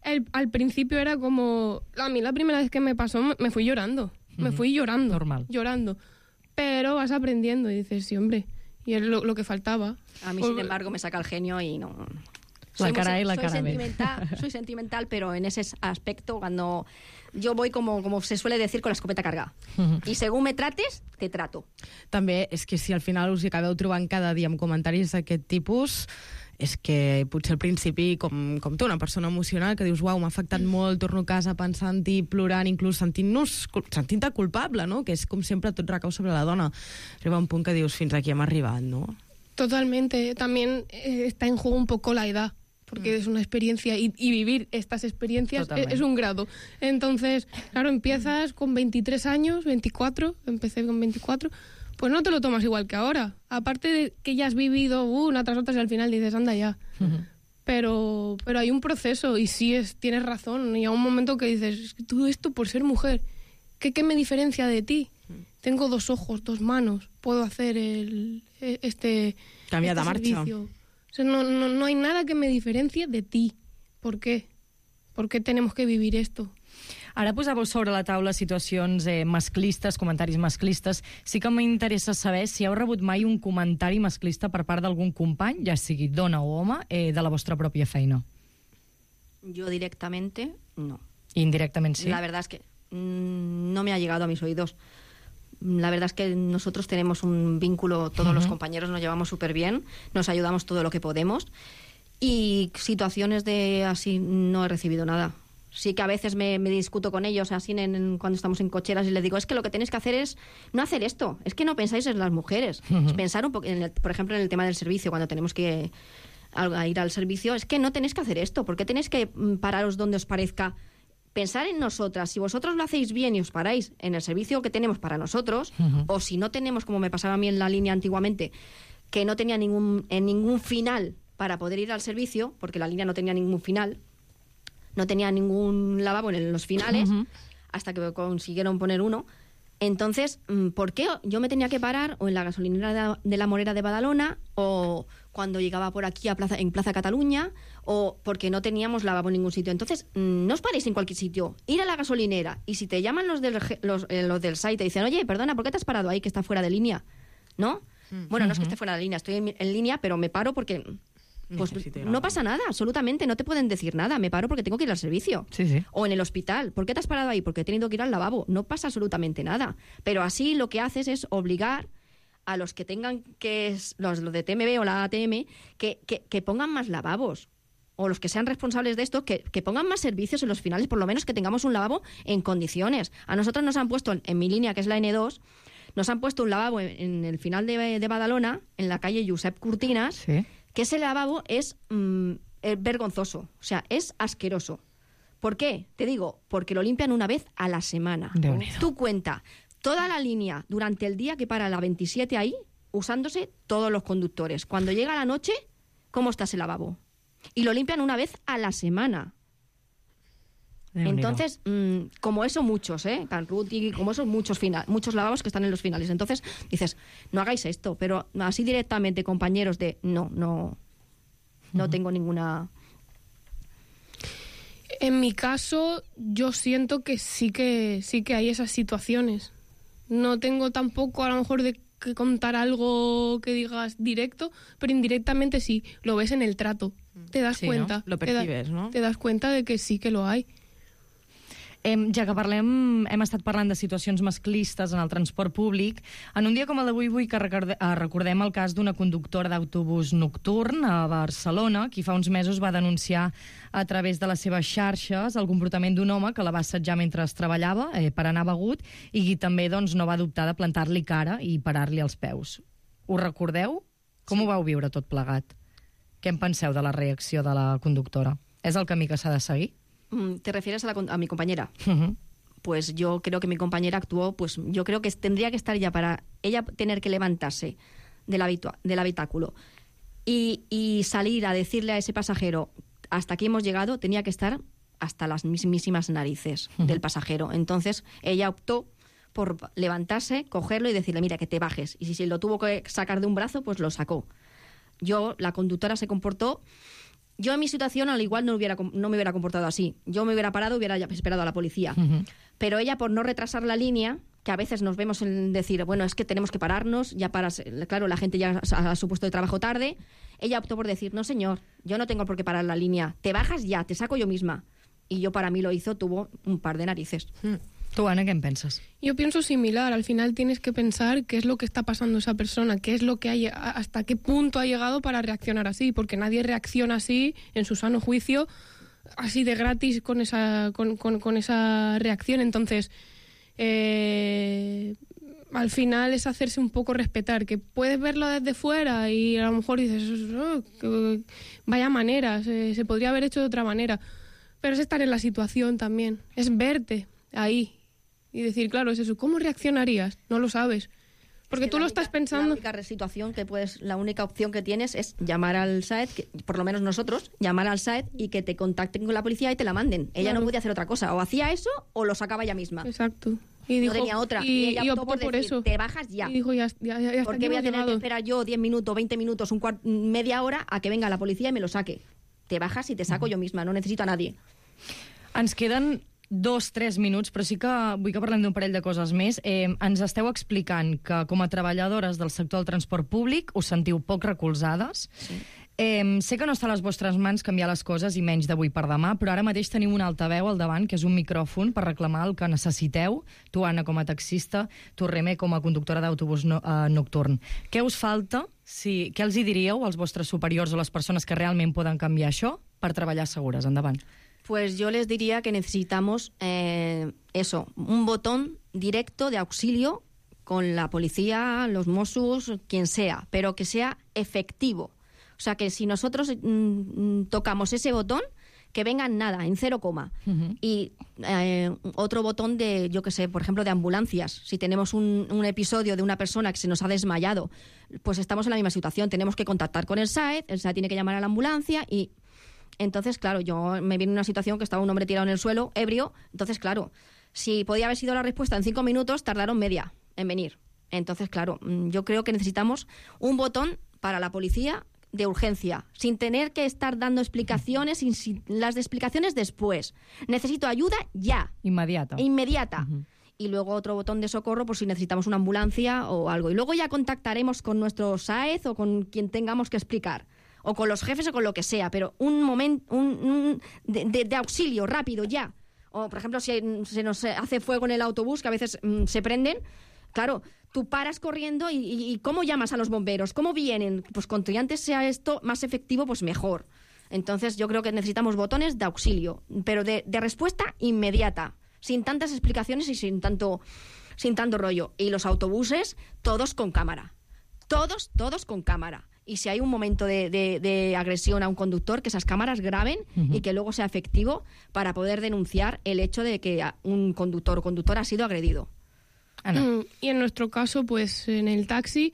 el- al principio era como, a mí la primera vez que me pasó me, me fui llorando, me Ujú. fui llorando, Normal. llorando, pero vas aprendiendo y dices, sí, hombre, y es lo, lo que faltaba. A mí, Pues- sin embargo, me saca el genio y no... La muy cara sen- A y la soy cara B. sentimental, soy sentimental, pero en ese aspecto, cuando yo voy como, como se suele decir, con la escopeta cargada. Y según me trates, te trato. També és que si al final us hi acabeu trobant cada dia amb comentaris d'aquest tipus, és que potser al principi, com, com tu, una persona emocional que dius, uau, m'ha afectat molt, torno a casa pensant-hi, plorant, inclús sentint-nos, sentint-te culpable, no? Que és com sempre tot recau sobre la dona. Arriba un punt que dius, fins aquí hem arribat, no? Totalmente. También eh, está en juego un poco la edad, porque es una experiencia y, y vivir estas experiencias es, Totalmente. es un grado. Entonces, claro, empiezas con veintitrés años, veinticuatro, empecé con veinticuatro, pues no te lo tomas igual que ahora. Aparte de que ya has vivido uh, una tras otra y al final dices, anda ya. Pero, pero hay un proceso y sí es, tienes razón. Y hay un momento que dices, es que todo esto por ser mujer, ¿qué, qué me diferencia de ti? Tengo dos ojos, dos manos, puedo hacer el, e- este, Canviar de este marxa. servicio. O sea, no, no, no hay nada que me diferencie de ti. ¿Por qué? ¿Por qué tenemos que vivir esto? Ara posàveu sobre la taula situacions eh, masclistes, comentaris masclistes. Sí que m'interessa saber si heu rebut mai un comentari masclista per part d'algun company, ja sigui dona o home, eh, de la vostra pròpia feina. Yo directamente, no. Indirectament sí. La verdad es que mm, no me ha llegado a mis oídos. La verdad es que nosotros tenemos un vínculo, todos Ujú. los compañeros nos llevamos súper bien, nos ayudamos todo lo que podemos y situaciones de así no he recibido nada. Sí que a veces me, me discuto con ellos así en, en- cuando estamos en cocheras y les digo, es que lo que tenéis que hacer es no hacer esto, es que no pensáis en las mujeres. Ujú. Es pensar un poco, en el- por ejemplo, en el tema del servicio, cuando tenemos que a- a ir al servicio, es que no tenéis que hacer esto, porque tenéis que mm, pararos donde os parezca. Pensar en nosotras, si vosotros lo hacéis bien y os paráis en el servicio que tenemos para nosotros, Ujú. o si no tenemos, como me pasaba a mí en la línea antiguamente, que no tenía ningún, en ningún final para poder ir al servicio, porque la línea no tenía ningún final, no tenía ningún lavabo en los finales, Ujú. hasta que consiguieron poner uno. Entonces, mm, ¿por qué yo me tenía que parar o en la gasolinera de, de la Morera de Badalona o cuando llegaba por aquí a Plaza, en Plaza Cataluña o porque no teníamos lavabo en ningún sitio? Entonces, mm, no os paréis en cualquier sitio, ir a la gasolinera y si te llaman los del, ge- los, eh, los del site y te dicen, oye, perdona, ¿por qué te has parado ahí que está fuera de línea? ¿No? Bueno, no es que esté fuera de línea, estoy en, en línea, pero me paro porque... Pues Necesito ir a no la- pasa nada, absolutamente, no te pueden decir nada, me paro porque tengo que ir al servicio. Sí, sí. O en el hospital. ¿Por qué te has parado ahí? Porque he tenido que ir al lavabo. No pasa absolutamente nada. Pero así lo que haces es obligar a los que tengan que... es- Los, los de T M B o la A T M, que, que, que pongan más lavabos. O los que sean responsables de esto, que, que pongan más servicios en los finales, por lo menos que tengamos un lavabo en condiciones. A nosotros nos han puesto, en, en mi línea, que es la N dos, nos han puesto un lavabo en, en el final de, de Badalona, en la calle Josep Cortinas, Sí. que ese lavabo es mm, eh, vergonzoso, o sea, es asqueroso. ¿Por qué? Te digo, porque lo limpian una vez a la semana. Tú cuenta toda la línea durante el día que para la veintisiete ahí, usándose todos los conductores. Cuando llega la noche, ¿cómo está ese lavabo? Y lo limpian una vez a la semana. Entonces, mmm, como eso muchos, ¿eh? Canruti, como esos muchos, final, muchos lavabos que están en los finales. Entonces dices, no hagáis esto, pero así directamente, compañeros, de no, no, no uh-huh. tengo ninguna... En mi caso, yo siento que sí que sí que hay esas situaciones. No tengo tampoco a lo mejor de que contar algo que digas directo, pero indirectamente sí, lo ves en el trato. Te das sí, cuenta. ¿no? Lo percibes, te da, no? Te das cuenta de que sí que lo hay. Eh, ja que parlem, hem estat parlant de situacions masclistes en el transport públic. En un dia com el d'avui vull que recordem el cas d'una conductora d'autobús nocturn a Barcelona, qui fa uns mesos va denunciar a través de les seves xarxes el comportament d'un home que la va assetjar mentre treballava eh, per anar begut i qui també doncs, no va dubtar de plantar-li cara i parar-li els peus. Ho recordeu? Com sí. ho vau viure tot plegat? Què en penseu de la reacció de la conductora? És el camí que s'ha de seguir? ¿Te refieres a, la, a mi compañera? Uh-huh. Pues yo creo que mi compañera actuó, pues yo creo que tendría que estar ya para ella tener que levantarse del, habitua, del habitáculo y, y salir a decirle a ese pasajero, hasta aquí hemos llegado, tenía que estar hasta las mismísimas narices uh-huh. del pasajero. Entonces ella optó por levantarse, cogerlo y decirle, mira, que te bajes. Y si, si lo tuvo que sacar de un brazo, pues lo sacó. Yo, la conductora se comportó... Yo en mi situación al igual no, hubiera, no me hubiera comportado así. Yo me hubiera parado y hubiera esperado a la policía. Uh-huh. Pero ella, por no retrasar la línea, que a veces nos vemos en decir, bueno, es que tenemos que pararnos, ya paras, claro, la gente ya a su puesto de trabajo tarde, ella optó por decir, no señor, yo no tengo por qué parar la línea, te bajas ya, te saco yo misma. Y yo, para mí lo hizo, tuvo un par de narices. Uh-huh. ¿Tú, Ana, qué piensas? Yo pienso similar. Al final tienes que pensar qué es lo que está pasando esa persona, qué es lo que hay, hasta qué punto ha llegado para reaccionar así, porque nadie reacciona así, en su sano juicio, así de gratis con esa, con, con, con esa reacción. Entonces, eh, al final es hacerse un poco respetar, que puedes verlo desde fuera y a lo mejor dices, oh, que, vaya manera, se, se podría haber hecho de otra manera, pero es estar en la situación también, es verte ahí. Y decir, claro, es eso. ¿Cómo reaccionarías? No lo sabes. Porque es que tú lo única, estás pensando... La única situación que puedes, la única opción que tienes es llamar al S A E D, que, por lo menos nosotros, llamar al S A E D y que te contacten con la policía y te la manden. Ella claro. no podía hacer otra cosa. O hacía eso o lo sacaba ella misma. Exacto. Y dijo, no tenía otra. Y, y ella y optó, optó por, por decir, eso. Te bajas ya. Y dijo, ya, ya, ya ¿Por qué voy a tener llegado? que esperar yo diez minutos, veinte minutos, un cuart, media hora a que venga la policía y me lo saque? Te bajas y te saco yo misma. No necesito a nadie. Ens queden... dos, tres minuts, però sí que vull que parlem d'un parell de coses més. Eh, ens esteu explicant que com a treballadores del sector del transport públic us sentiu poc recolzades. Sí. Eh, sé que no està a les vostres mans canviar les coses i menys d'avui per demà, però ara mateix teniu un altaveu al davant, que és un micròfon per reclamar el que necessiteu, tu, Anna, com a taxista, tu, Remé, com a conductora d'autobús no, eh, nocturn. Què us falta? Si, què els hi diríeu als vostres superiors o les persones que realment poden canviar això per treballar segures? Endavant. Pues yo les diría que necesitamos eh, eso, un botón directo de auxilio con la policía, los Mossos, quien sea, pero que sea efectivo. O sea, que si nosotros mm, tocamos ese botón, que vengan nada, en cero coma. Uh-huh. Y eh, otro botón de, yo qué sé, por ejemplo, de ambulancias. Si tenemos un, un episodio de una persona que se nos ha desmayado, pues estamos en la misma situación. Tenemos que contactar con el S A E D, el S A E D tiene que llamar a la ambulancia y... Entonces, claro, yo me vi en una situación que estaba un hombre tirado en el suelo, ebrio. Entonces, claro, si podía haber sido la respuesta en cinco minutos, tardaron media en venir. Entonces, claro, yo creo que necesitamos un botón para la policía de urgencia, sin tener que estar dando explicaciones, sin, sin, las de explicaciones después. Necesito ayuda ya. Inmediata. Inmediata. Uh-huh. Y luego otro botón de socorro por si necesitamos una ambulancia o algo. Y luego ya contactaremos con nuestro S A E D o con quien tengamos que explicar. O con los jefes o con lo que sea, pero un momento un, un de, de, de auxilio rápido ya. O, por ejemplo, si se nos hace fuego en el autobús, que a veces mmm, se prenden, claro, tú paras corriendo y, y, y ¿cómo llamas a los bomberos? ¿Cómo vienen? Pues cuanto antes sea esto más efectivo, pues mejor. Entonces yo creo que necesitamos botones de auxilio, pero de, de respuesta inmediata, sin tantas explicaciones y sin tanto, sin tanto rollo. Y los autobuses, todos con cámara. Todos, todos con cámara. y si hay un momento de, de, de agresión a un conductor, que esas cámaras graben uh-huh. y que luego sea efectivo para poder denunciar el hecho de que un conductor o conductora ha sido agredido. Ana. Mm, y en nuestro caso, pues en el taxi,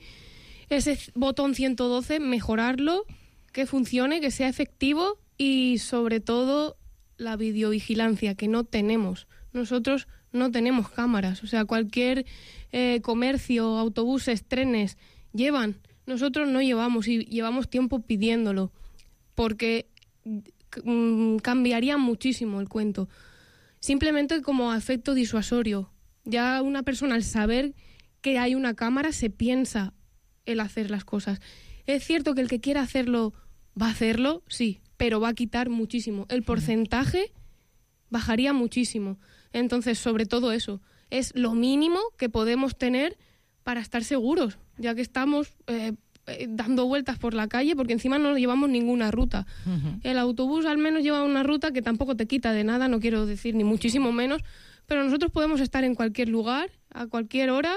ese botón ciento doce, mejorarlo, que funcione, que sea efectivo y sobre todo la videovigilancia, que no tenemos. Nosotros no tenemos cámaras, o sea, cualquier eh, comercio, autobuses, trenes llevan. Nosotros no llevamos y llevamos tiempo pidiéndolo porque mm, cambiaría muchísimo el cuento. Simplemente como efecto disuasorio. Ya una persona al saber que hay una cámara se piensa el hacer las cosas. Es cierto que el que quiera hacerlo va a hacerlo, sí, pero va a quitar muchísimo. El porcentaje bajaría muchísimo. Entonces, sobre todo eso, es lo mínimo que podemos tener para estar seguros, ya que estamos eh, eh, dando vueltas por la calle, porque encima no llevamos ninguna ruta. Uh-huh. El autobús al menos lleva una ruta que tampoco te quita de nada, no quiero decir ni muchísimo menos, pero nosotros podemos estar en cualquier lugar, a cualquier hora,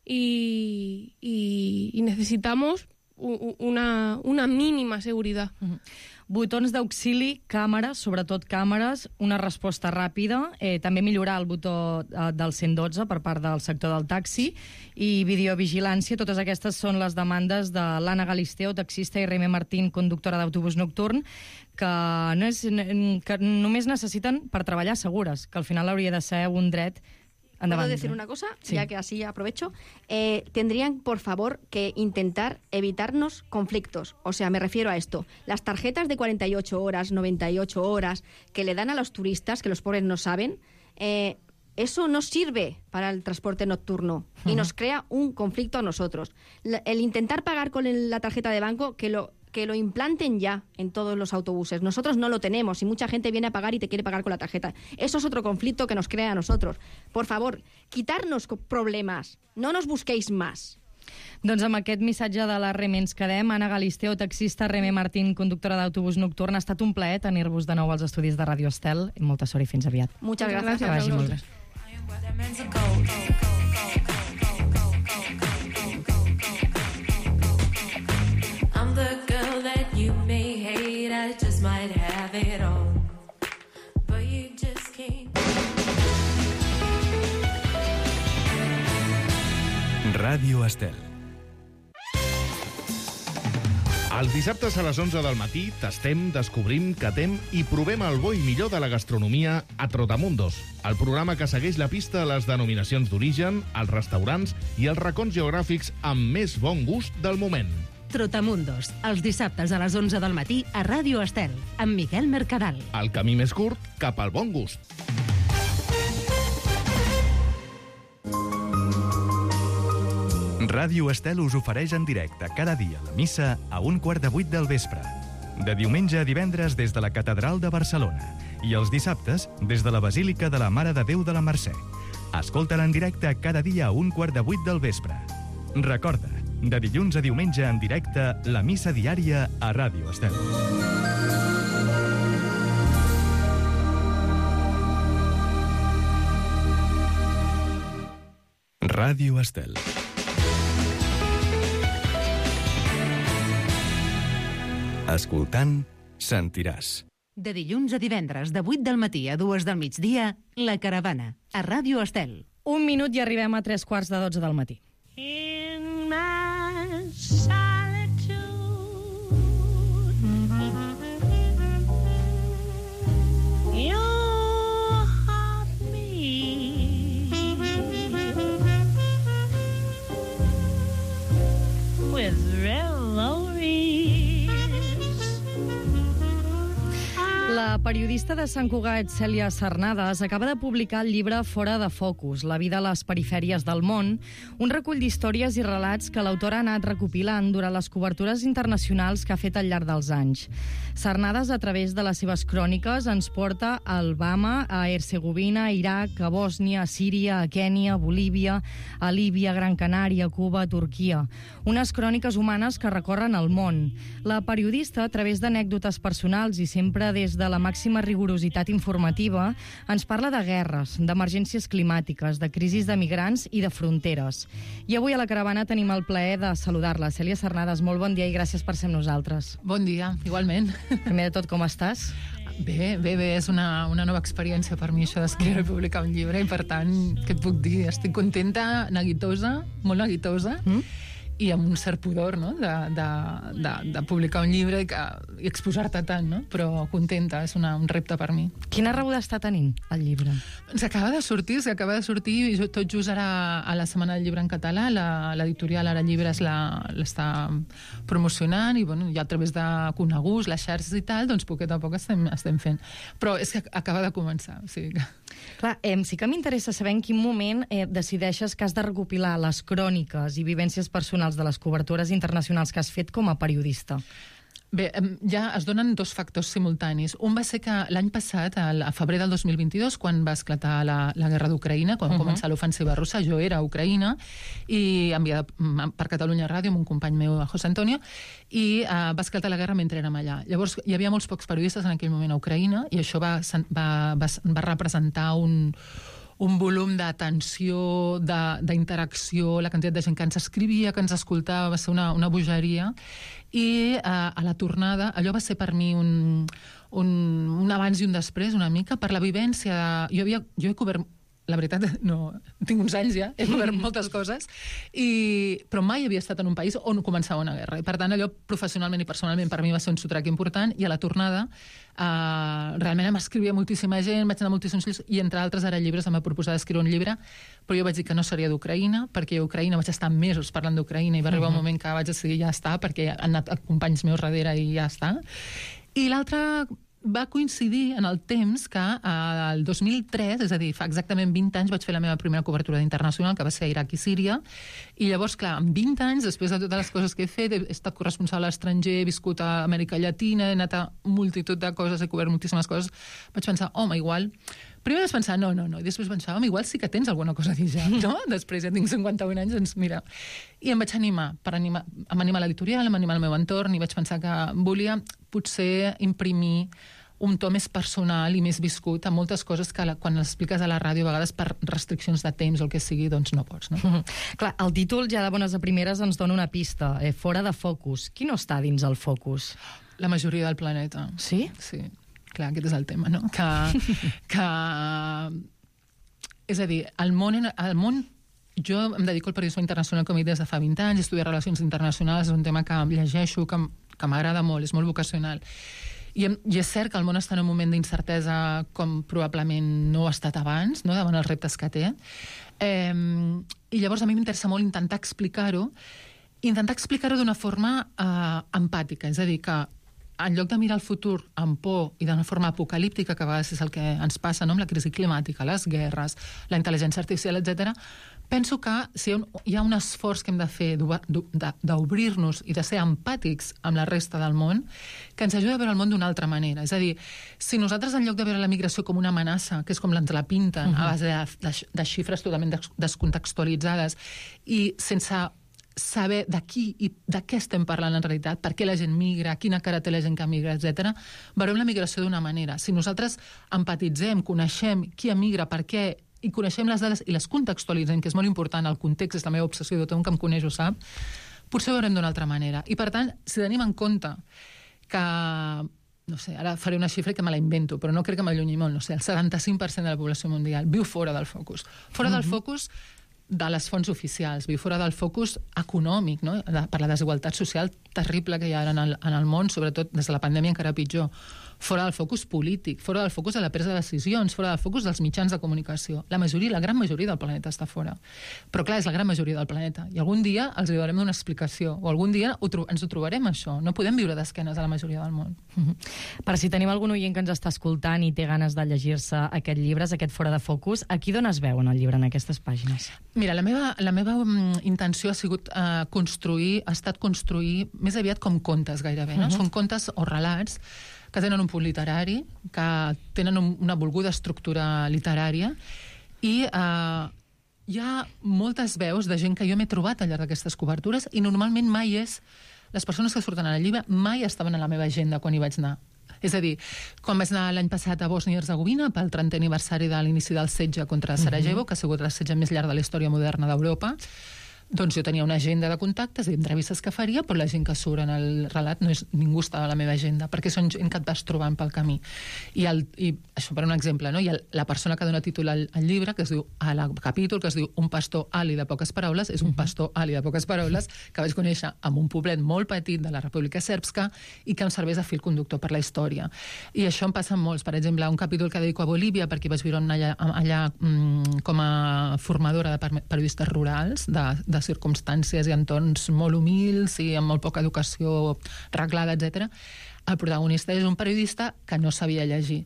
y, y, y necesitamos una, una mínima seguridad. Uh-huh. Botons d'auxili, càmeres, sobretot càmeres, una resposta ràpida, eh, també millorar el botó eh, del cent dotze per part del sector del taxi i videovigilància. Totes aquestes són les demandes de l'Anna Galisteo, taxista, i Reme Martín, conductora d'autobús nocturn, que, no és, que només necessiten per treballar segures, que al final hauria de ser un dret. ¿Puedo decir una cosa? Sí. Ya que así aprovecho. Eh, tendrían, por favor, que intentar evitarnos conflictos. O sea, me refiero a esto. Las tarjetas de cuarenta y ocho horas, noventa y ocho horas que le dan a los turistas, que los pobres no saben, eh, eso no sirve para el transporte nocturno uh-huh. y nos crea un conflicto a nosotros. La, el intentar pagar con el, la tarjeta de banco, que lo... que lo implanten ya en todos los autobuses. Nosotros no lo tenemos y mucha gente viene a pagar y te quiere pagar con la tarjeta. Eso es otro conflicto que nos crea a nosotros. Por favor, quitarnos problemas. No nos busquéis más. Doncs amb aquest missatge de la Reme ens quedem. Anna Galisteo, taxista, Reme Martín, conductora d'autobús nocturn. Ha estat un plaer tenir-vos de nou als estudis de Ràdio Estel. Molta sort i fins aviat. Muchas gracias. Que vagi molt bé. The girl that you may hate, I just might have it all, but you just can't. Ràdio Estel. Els dissabtes a les onze del matí tastem, descobrim, catem i provem el bo i millor de la gastronomia a Trotamundos, el programa que segueix la pista a les denominacions d'origen, els restaurants i els racons geogràfics amb més bon gust del moment. Trotamundos, els dissabtes a les onze del matí a Ràdio Estel, amb Miguel Mercadal. El camí més curt cap al bon gust. Ràdio Estel us ofereix en directe cada dia la missa a un quart de vuit del vespre. De diumenge a divendres des de la Catedral de Barcelona i els dissabtes des de la Basílica de la Mare de Déu de la Mercè. Escolta-la en directe cada dia a un quart de vuit del vespre. Recorda, de dilluns a diumenge en directe, la missa diària a Ràdio Estel. Ràdio Estel. Escoltant, sentiràs. De dilluns a divendres, de vuit del matí a dues del migdia, La Caravana, a Ràdio Estel. Un minut i arribem a tres quarts de dotze del matí. In my solitude, your heart beats with revelries. La periodista de Sant Cugat, Cèlia Sarnades, acaba de publicar el llibre Fora de focus, la vida a les perifèries del món, un recull d'històries i relats que l'autora ha anat recopilant durant les cobertures internacionals que ha fet al llarg dels anys. Sarnades, a través de les seves cròniques, ens porta a Alabama, a Herzegovina, a Iraq, a Bòsnia, a Síria, a Kènia, a Bolívia, a Líbia, a Gran Canària, a Cuba, a Turquia. Unes cròniques humanes que recorren el món. La periodista, a través d'anècdotes personals i sempre des de la màxima màxima rigorositat informativa, ens parla de guerres, d'emergències climàtiques, de crisis de migrants i de fronteres. I avui a la caravana tenim el plaer de saludar-la. Cèlia Cernades, molt bon dia i gràcies per ser amb nosaltres. Bon dia, igualment. Primer de tot, com estàs? Bé, bé, bé, és una, una nova experiència per mi això d'escriure i publicar un llibre i per tant, què et puc dir? Estic contenta, neguitosa, molt neguitosa, mm? i amb un cert pudor, no?, de, de, de, de publicar un llibre i, que, i exposar-te tant, no? Però contenta, és una, un repte per mi. Quina rebuda està tenint el llibre? S'acaba de sortir, s'acaba de sortir i tot just ara a la Setmana del Llibre en català, l'editorial Ara Llibres l'està promocionant i bueno, ja a través de coneguts, les xarxes i tal, doncs poquet a poc estem, estem fent. Però és que acaba de començar, o sigui que... Clar, eh, sí que m'interessa saber en quin moment eh, decideixes que has de recopilar les cròniques i vivències personals de les cobertures internacionals que has fet com a periodista. Bé, ja es donen dos factors simultanis. Un va ser que l'any passat, a febrer del dos mil vint-i-dos, quan va esclatar la, la guerra d'Ucraïna, quan uh -huh. va començar l'ofensiva russa, jo era a Ucraïna i enviada per Catalunya Ràdio amb un company meu, José Antonio, i uh, va esclatar la guerra mentre érem allà. Llavors, hi havia molts pocs periodistes en aquell moment a Ucraïna i això va, va, va, va representar un un volum d'atenció, d'interacció, la quantitat de gent que ens escrivia, que ens escoltava, va ser una, una bogeria. I eh, a la tornada, allò va ser per mi un, un, un abans i un després, una mica, per la vivència. De... Jo, havia, jo he cobert... La veritat, no, tinc uns anys ja, he cobert moltes coses, i, però mai havia estat en un país on començava una guerra. I per tant, allò professionalment i personalment per mi va ser un sotrac important, i a la tornada eh, realment m'escrivia moltíssima gent, vaig anar a moltíssims llibres, i entre altres Ara Llibres em va proposar d'escriure un llibre, però jo vaig dir que no seria d'Ucraïna, perquè a Ucraïna vaig estar mesos parlant d'Ucraïna i va arribar uh -huh. un moment que vaig decidir ja està, perquè han anat companys meus darrere i ja està. I l'altre va coincidir en el temps que eh, el dos mil tres, és a dir, fa exactament vint anys, vaig fer la meva primera cobertura internacional, que va ser a Iraq i Síria, i llavors, clar, en vint anys, després de totes les coses que he fet, he estat corresponsal a l'estranger, he viscut a Amèrica Llatina, he anat a multitud de coses, he cobert moltíssimes coses, vaig pensar, home, igual... Primer vaig pensar, no, no, no, i després pensava, home, igual sí que tens alguna cosa a dir ja, no? Després ja tinc cinquanta-un anys, doncs mira... I em vaig animar, per animar, em animar l'editorial, em animar el meu entorn, i vaig pensar que volia potser imprimir un to més personal i més viscut a moltes coses que la, quan les expliques a la ràdio a vegades per restriccions de temps o el que sigui, doncs no pots, no? Mm-hmm. Clar, el títol ja de bones a primeres ens dona una pista, eh, fora de focus. Qui no està dins el focus? La majoria del planeta. Sí? Sí. Clar, aquest és el tema, no? Que... que és a dir, el món... El món jo em dedico al periodisme internacional com he dit des de fa vint anys, estudiar relacions internacionals, és un tema que llegeixo, que, que m'agrada molt, és molt vocacional. I, I és cert que el món està en un moment d'incertesa com probablement no ha estat abans, no?, davant els reptes que té. Eh, I llavors a mi m'interessa molt intentar explicar-ho, intentar explicar-ho d'una forma eh, empàtica, és a dir, que en lloc de mirar el futur amb por i d'una forma apocalíptica, que a vegades és el que ens passa, no?, amb la crisi climàtica, les guerres, la intel·ligència artificial, etcètera, penso que si hi ha un esforç que hem de fer d'obrir-nos i de ser empàtics amb la resta del món, que ens ajuda a veure el món d'una altra manera. És a dir, si nosaltres en lloc de veure la migració com una amenaça, que és com ens la pinten, uh-huh. a base de, de, de xifres totalment descontextualitzades i sense saber de qui i de què estem parlant en realitat, per què la gent migra, quina cara té la gent que migra, etcètera, veurem la migració d'una manera. Si nosaltres empatitzem, coneixem qui emigra, per què, i coneixem les dades i les contextualitzem, que és molt important, el context és la meva obsessió, tothom que em coneix ho sap, potser ho veurem d'una altra manera. I per tant, si tenim en compte que, no sé, ara faré una xifra que me la invento, però no crec que m'allunyi molt, no sé, el setanta-cinc per cent de la població mundial viu fora del focus. Fora del focus de les fonts oficials, viu fora del focus econòmic, no?, per la desigualtat social terrible que hi ha ara en el, en el món, sobretot des de la pandèmia encara pitjor. Fora del focus polític, fora del focus de la presa de decisions, fora del focus dels mitjans de comunicació. La majoria, la gran majoria del planeta està fora. Però clar, és la gran majoria del planeta. I algun dia els hi donarem una explicació, o algun dia ho ens ho trobarem, això. No podem viure d'esquenes a la majoria del món. Mm-hmm. Per si tenim algun oient que ens està escoltant i té ganes de llegir-se aquest llibre, aquest Fora de Focus, a qui dones veu en el llibre, en aquestes pàgines? Mira, la meva, la meva um, intenció ha sigut uh, construir, ha estat construir més aviat com contes gairebé, no? Uh-huh. Són contes o relats que tenen un punt literari, que tenen un, una volguda estructura literària, i eh, hi ha moltes veus de gent que jo m'he trobat al llarg d'aquestes cobertures, i normalment mai és... Les persones que surten a la llibre mai estaven a la meva agenda quan hi vaig anar. És a dir, quan vaig anar l'any passat a Bòsnia i Herzegovina pel trentè aniversari de l'inici del setge contra Sarajevo, uh-huh. que ha sigut el setge més llarg de la història moderna d'Europa, doncs jo tenia una agenda de contactes i entrevistes que faria, però la gent que surt en el relat no és, ningú estava a la meva agenda, perquè són gent que et vas trobant pel camí. I, el, i això per un exemple, no? I el, la persona que dona títol al, al llibre, que es diu, al capítol, que es diu Un pastor ali de poques paraules, és un pastor ali de poques paraules que vaig conèixer en un poblet molt petit de la República Sèrbska i que em serveix de fil conductor per la història. I això em passa molts. Per exemple, un capítol que dedico a Bolívia, perquè vaig viure allà, allà mm, com a formadora de periodistes rurals, de, de circumstàncies i entorns molt humils i amb molt poca educació reglada, etcètera. El protagonista és un periodista que no sabia llegir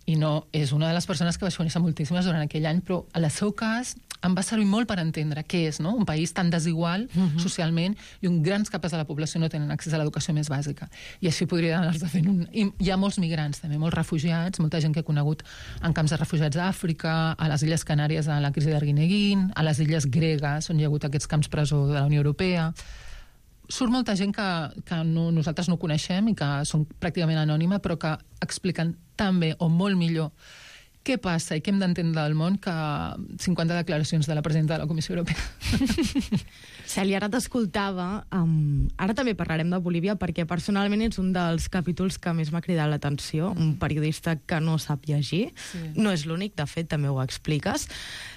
i no és una de les persones que vaig conèixer moltíssimes durant aquell any, però en el seu cas em va servir molt per entendre què és, no? Un país tan desigual uh-huh. socialment i on grans capes de la població no tenen accés a l'educació més bàsica. I així podria anar-se fent un... I hi ha molts migrants també, molts refugiats, molta gent que he conegut en camps de refugiats a Àfrica, a les Illes Canàries a la crisi d'Arguineguín, a les Illes Gregues, on hi ha hagut aquests camps presó de la Unió Europea. Surt molta gent que, que no, nosaltres no coneixem i que són pràcticament anònima, però que expliquen tan bé o molt millor què passa i què hem d'entendre del món que cinquanta declaracions de la presidenta de la Comissió Europea. Cèlia, ara t'escoltava. Um, ara també parlarem de Bolívia perquè personalment és un dels capítols que més m'ha cridat l'atenció. Un periodista que no sap llegir. Sí. No és l'únic, de fet, també ho expliques.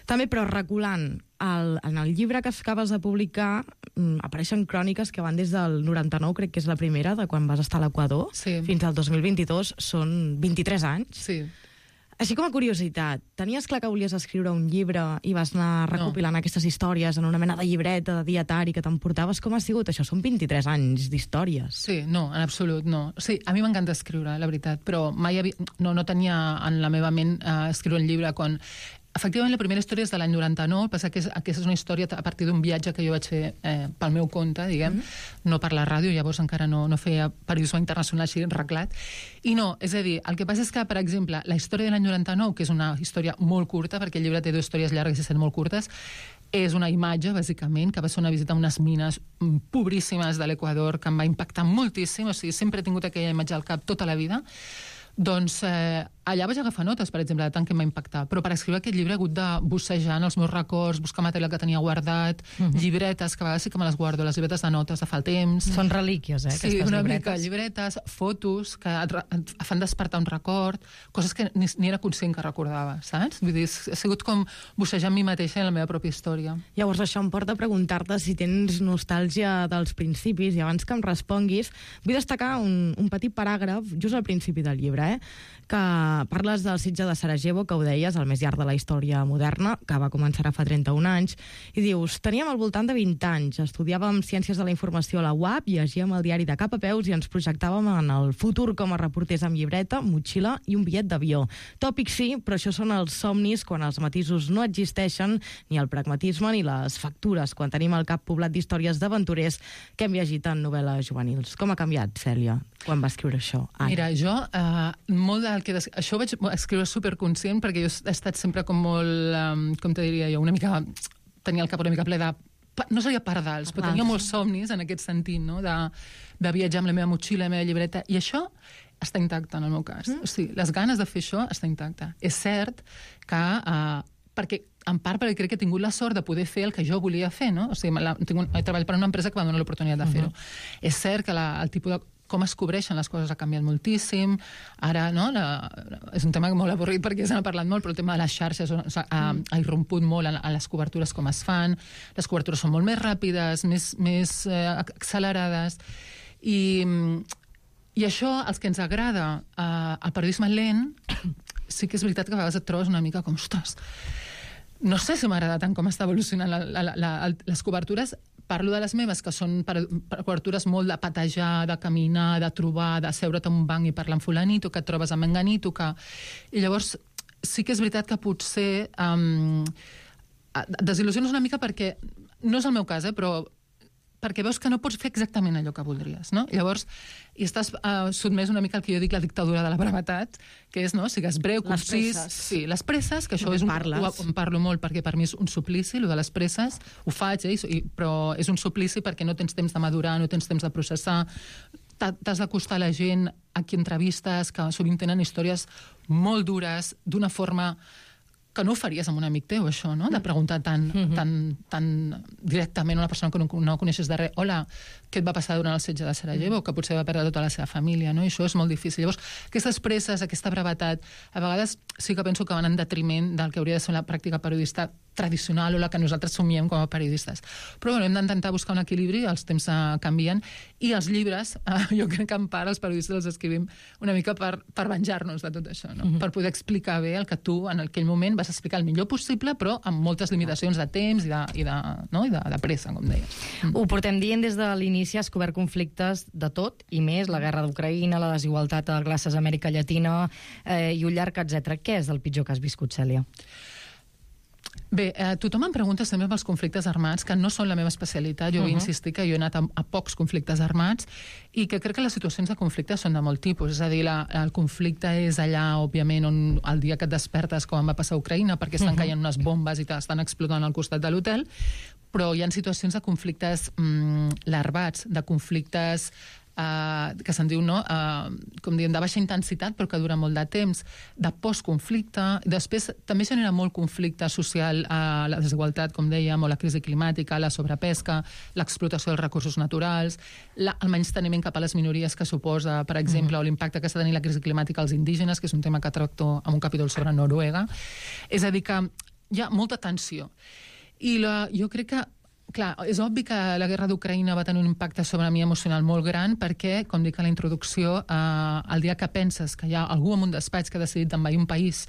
També, però reculant, el, en el llibre que acabes de publicar um, apareixen cròniques que van des del noranta-nou, crec que és la primera, de quan vas estar a l'Equador, sí. fins al dos mil vint-i-dos, són vint-i-tres anys. Sí. Així com a curiositat, tenies clar que volies escriure un llibre i vas anar recopilant no. aquestes històries en una mena de llibreta, de dietari que t'emportaves? Com ha sigut això? Són vint-i-tres anys d'històries. Sí, no, en absolut, no. Sí, a mi m'encanta escriure, la veritat, però mai havia... no, no tenia en la meva ment uh, escriure un llibre quan... Efectivament, la primera història és de l'any noranta-nou, passa que és, aquesta és una història a partir d'un viatge que jo vaig fer eh, pel meu compte, diguem, mm. no per la ràdio, llavors encara no, no feia periodisme internacional així reglat. I no, és a dir, el que passa és que, per exemple, la història de l'any noranta-nou, que és una història molt curta, perquè el llibre té dues històries llargues i set molt curtes, és una imatge, bàsicament, que va ser una visita a unes mines pobríssimes de l'Equador, que em va impactar moltíssim, o sigui, sempre he tingut aquella imatge al cap tota la vida. Doncs eh, allà vaig agafar notes, per exemple, de tant que em va impactar, però per escriure aquest llibre he hagut de bussejar en els meus records, buscar material que tenia guardat, uh-huh. llibretes, que a vegades sí que me les guardo, les llibretes de notes de fa el temps. Són relíquies, eh, aquestes sí, una llibretes. mica llibretes, fotos que et, et fan despertar un record, coses que ni, ni era conscient que recordava, saps? Vull dir, ha sigut com bussejar en mi mateixa i en la meva pròpia història. Llavors això em porta a preguntar-te si tens nostàlgia dels principis, i abans que em responguis, vull destacar un, un petit paràgraf just al principi del llibre, eh? Que parles del setge de Sarajevo, que ho deies, el més llarg de la història moderna, que va començar fa trenta-un anys, i dius, teníem al voltant de vint anys, estudiàvem Ciències de la Informació a la U A P, llegíem el diari de cap a peus i ens projectàvem en el futur com a reporters amb llibreta, motxilla i un bitllet d'avió. Tòpics sí, però això són els somnis quan els matisos no existeixen, ni el pragmatisme ni les factures, quan tenim al cap poblat d'històries d'aventurers que hem llegit en novel·les juvenils. Com ha canviat, Cèlia, quan va escriure això? Ara. Mira, jo, eh, molt del que... Des... Això ho vaig escriure superconscient perquè jo he estat sempre com molt, um, com te diria jo, una mica... Tenia el cap una mica ple de... No seria pardals, però tenia molts somnis en aquest sentit, no? De, de viatjar amb la meva motxilla, la meva llibreta, i això està intacte en el meu cas. Mm. O sigui, les ganes de fer això està intacte. És cert que... Uh, perquè en part perquè crec que he tingut la sort de poder fer el que jo volia fer, no? O sigui, la, tinc un, he treballat per una empresa que va donar l'oportunitat de fer-ho. Uh-huh. És cert que la, el tipus de com es cobreixen les coses ha canviat moltíssim. Ara, no, la, és un tema molt avorrit perquè se n'ha parlat molt, però el tema de les xarxes ha, ha, ha irromput molt a, a les cobertures com es fan. Les cobertures són molt més ràpides, més, més eh, accelerades. I, I això, els que ens agrada eh, el periodisme lent, sí que és veritat que a vegades et trobes una mica com, ostres, no sé si m'agrada tant com està evolucionant la, la, la, la, les cobertures. Parlo de les meves, que són per, per cobertures molt de patejar, de caminar, de trobar, de seure't en un banc i parlar amb fulanito, que et trobes amb menganito, que... I llavors sí que és veritat que potser um, desil·lusiones una mica perquè, no és el meu cas, eh, però perquè veus que no pots fer exactament allò que voldries, no? I llavors, i estàs uh, sotmès una mica al que jo dic la dictadura de la brevetat, que és, no?, sigues breu, concís... Les sí, les presses, que això és un, ho, en parlo molt perquè per mi és un suplici, el de les presses, ho faig, eh, i, però és un suplici perquè no tens temps de madurar, no tens temps de processar, t'has d'acostar a la gent a qui entrevistes, que sovint tenen històries molt dures, d'una forma que no ho faries amb un amic teu, això, no? De preguntar tan, mm-hmm. tan, tan directament a una persona que no, no coneixes de res, hola, què et va passar durant el setge de Sarajevo, que potser va perdre tota la seva família, no? I això és molt difícil. Llavors, aquestes presses, aquesta brevetat, a vegades sí que penso que van en detriment del que hauria de ser la pràctica periodista tradicional o la que nosaltres somiem com a periodistes. Però bueno, hem d'intentar buscar un equilibri, els temps uh, canvien, i els llibres, uh, jo crec que en part els periodistes els escrivim una mica per, per venjar-nos de tot això, no? Mm-hmm. Per poder explicar bé el que tu en aquell moment vas explicar el millor possible, però amb moltes limitacions de temps i de, i de, no? I de, de pressa, com deies. Mm. Ho portem dient des de l'inici, has cobert conflictes de tot i més, la guerra d'Ucraïna, la desigualtat a classes a Amèrica Llatina eh, i un llarg etcètera. Què és el pitjor que has viscut, Cèlia? Bé, eh, tothom em pregunta sempre pels conflictes armats, que no són la meva especialitat. Jo uh-huh. vull insistir que jo he anat a, a pocs conflictes armats i que crec que les situacions de conflicte són de molt tipus. És a dir, la, el conflicte és allà, òbviament, on el dia que et despertes, com va passar a Ucraïna, perquè estan uh-huh. caient unes bombes i t'estan explotant al costat de l'hotel, però hi ha situacions de conflictes mm, larvats, de conflictes Uh, que se'n diu, no? Uh, com diem, de baixa intensitat, però que dura molt de temps, de postconflicte. Després també genera molt conflicte social, uh, la desigualtat, com dèiem, o la crisi climàtica, la sobrepesca, l'explotació dels recursos naturals, la, el menysteniment cap a les minories que suposa, per exemple, mm. o l'impacte que està tenint la crisi climàtica als indígenes, que és un tema que tracto en un capítol sobre Noruega. És a dir, que hi ha molta tensió. I la, jo crec que clar, és obvi que la guerra d'Ucraïna va tenir un impacte sobre mi emocional molt gran perquè, com dic a la introducció, eh, el dia que penses que hi ha algú en un despatx que ha decidit envair un país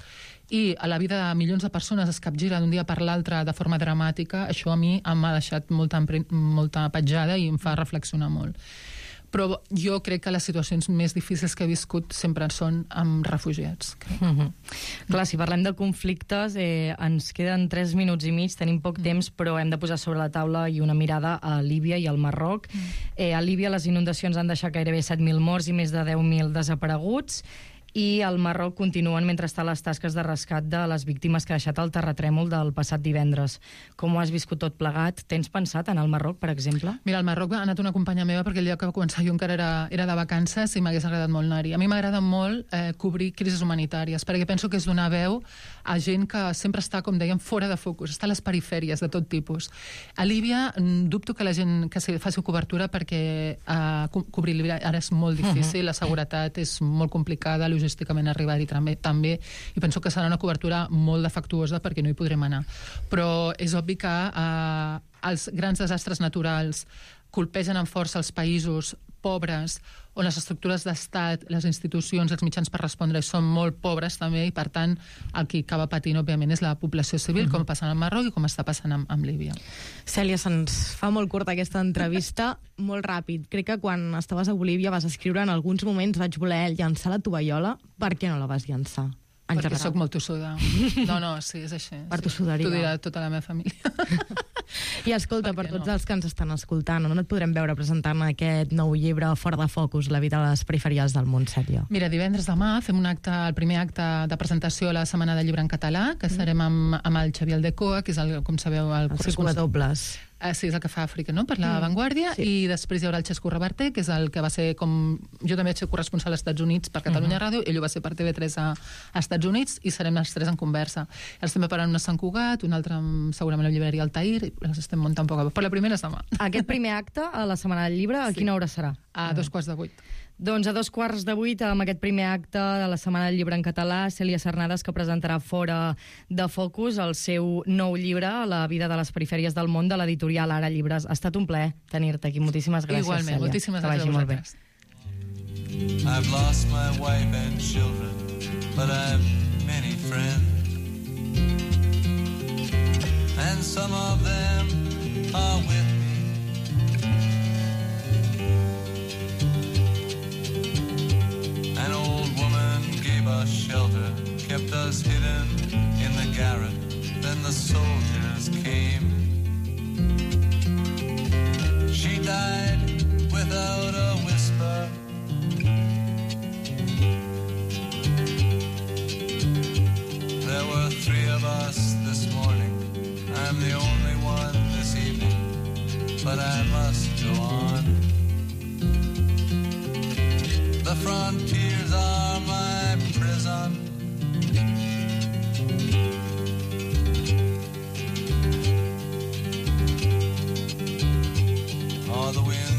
i a la vida de milions de persones es capgira d'un dia per l'altre de forma dramàtica, això a mi m'ha deixat molta, molta petjada i em fa reflexionar molt. Però jo crec que les situacions més difícils que he viscut sempre són amb refugiats. Mm-hmm. Clar, si parlem de conflictes, eh, ens queden tres minuts i mig, tenim poc mm. temps, però hem de posar sobre la taula i una mirada a Líbia i al Marroc. Mm. Eh, a Líbia les inundacions han deixat gairebé set mil morts i més de deu mil desapareguts, i al Marroc continuen mentrestant les tasques de rescat de les víctimes que ha deixat el terratrèmol del passat divendres. Com ho has viscut tot plegat? Tens pensat en el Marroc, per exemple? Mira, al Marroc ha anat una companya meva perquè el dia que va començar jo encara era, era de vacances i m'hagués agradat molt anar-hi. A mi m'agrada molt eh, cobrir crisis humanitàries, perquè penso que és donar veu a gent que sempre està, com dèiem, fora de focus, està a les perifèries de tot tipus. A Líbia dubto que la gent que faci cobertura perquè eh, co cobrir Líbia ara és molt difícil, uh-huh. la seguretat és molt complicada, logísticament arribar-hi també, també, i penso que serà una cobertura molt defectuosa perquè no hi podrem anar. Però és obvi que eh, els grans desastres naturals colpegen amb força els països pobres, on les estructures d'estat, les institucions, els mitjans per respondre són molt pobres també, i per tant el que acaba patint, òbviament, és la població civil, uh-huh. com passa al Marroc i com està passant amb, amb Líbia. Cèlia, se'ns fa molt curta aquesta entrevista, molt ràpid. Crec que quan estaves a Bolívia vas escriure en alguns moments vaig voler llançar la tovallola. Per què no la vas llançar? En Perquè general. sóc molt tossuda. No, no, sí, és així. Per tossuderia. T'ho dirà tota la meva família. I escolta, per, per tots no? els que ens estan escoltant, on et podrem veure presentant aquest nou llibre Fora de focus, la vida a les perifèries del món, Cèlia? Mira, divendres demà fem un acte, el primer acte de presentació a la Setmana del Llibre en Català, que serem amb, amb el Xavier Aldecoa, que és, el, com sabeu, el, el circular dobles. Ah, sí, és el que fa Àfrica, no?, per la mm. Vanguardia, sí. I després hi haurà el Xesco Reverter, que és el que va ser com... Jo també vaig ser corresponsal als Estats Units per Catalunya uh-huh. Ràdio, ell ho va ser per T V tres a, a Estats Units, i serem els tres en conversa. Els estem preparant una a Sant Cugat, una altra segurament a la llibreria Altair, i les estem muntant poc a poc. Però la primera és demà. Aquest primer acte, a la Setmana del Llibre, a sí. quina hora serà? A dos quarts de vuit. Doncs a dos quarts de vuit, amb aquest primer acte de la Setmana del Llibre en català, Cèlia Cernades, que presentarà Fora de focus el seu nou llibre, La vida de les perifèries del món, de l'editorial Ara Llibres. Ha estat un plaer tenir-te aquí. Moltíssimes gràcies, Igualment, Cèlia. moltíssimes gràcies a vosaltres. I've lost my wife and children, but I've many friends, and some of them are with me. An old woman gave us shelter, kept us hidden in the garret. Then the soldiers came. She died without a whisper. There were three of us this morning. I'm the only one this evening, but I must go on. frontiers are my prison. Oh, the wind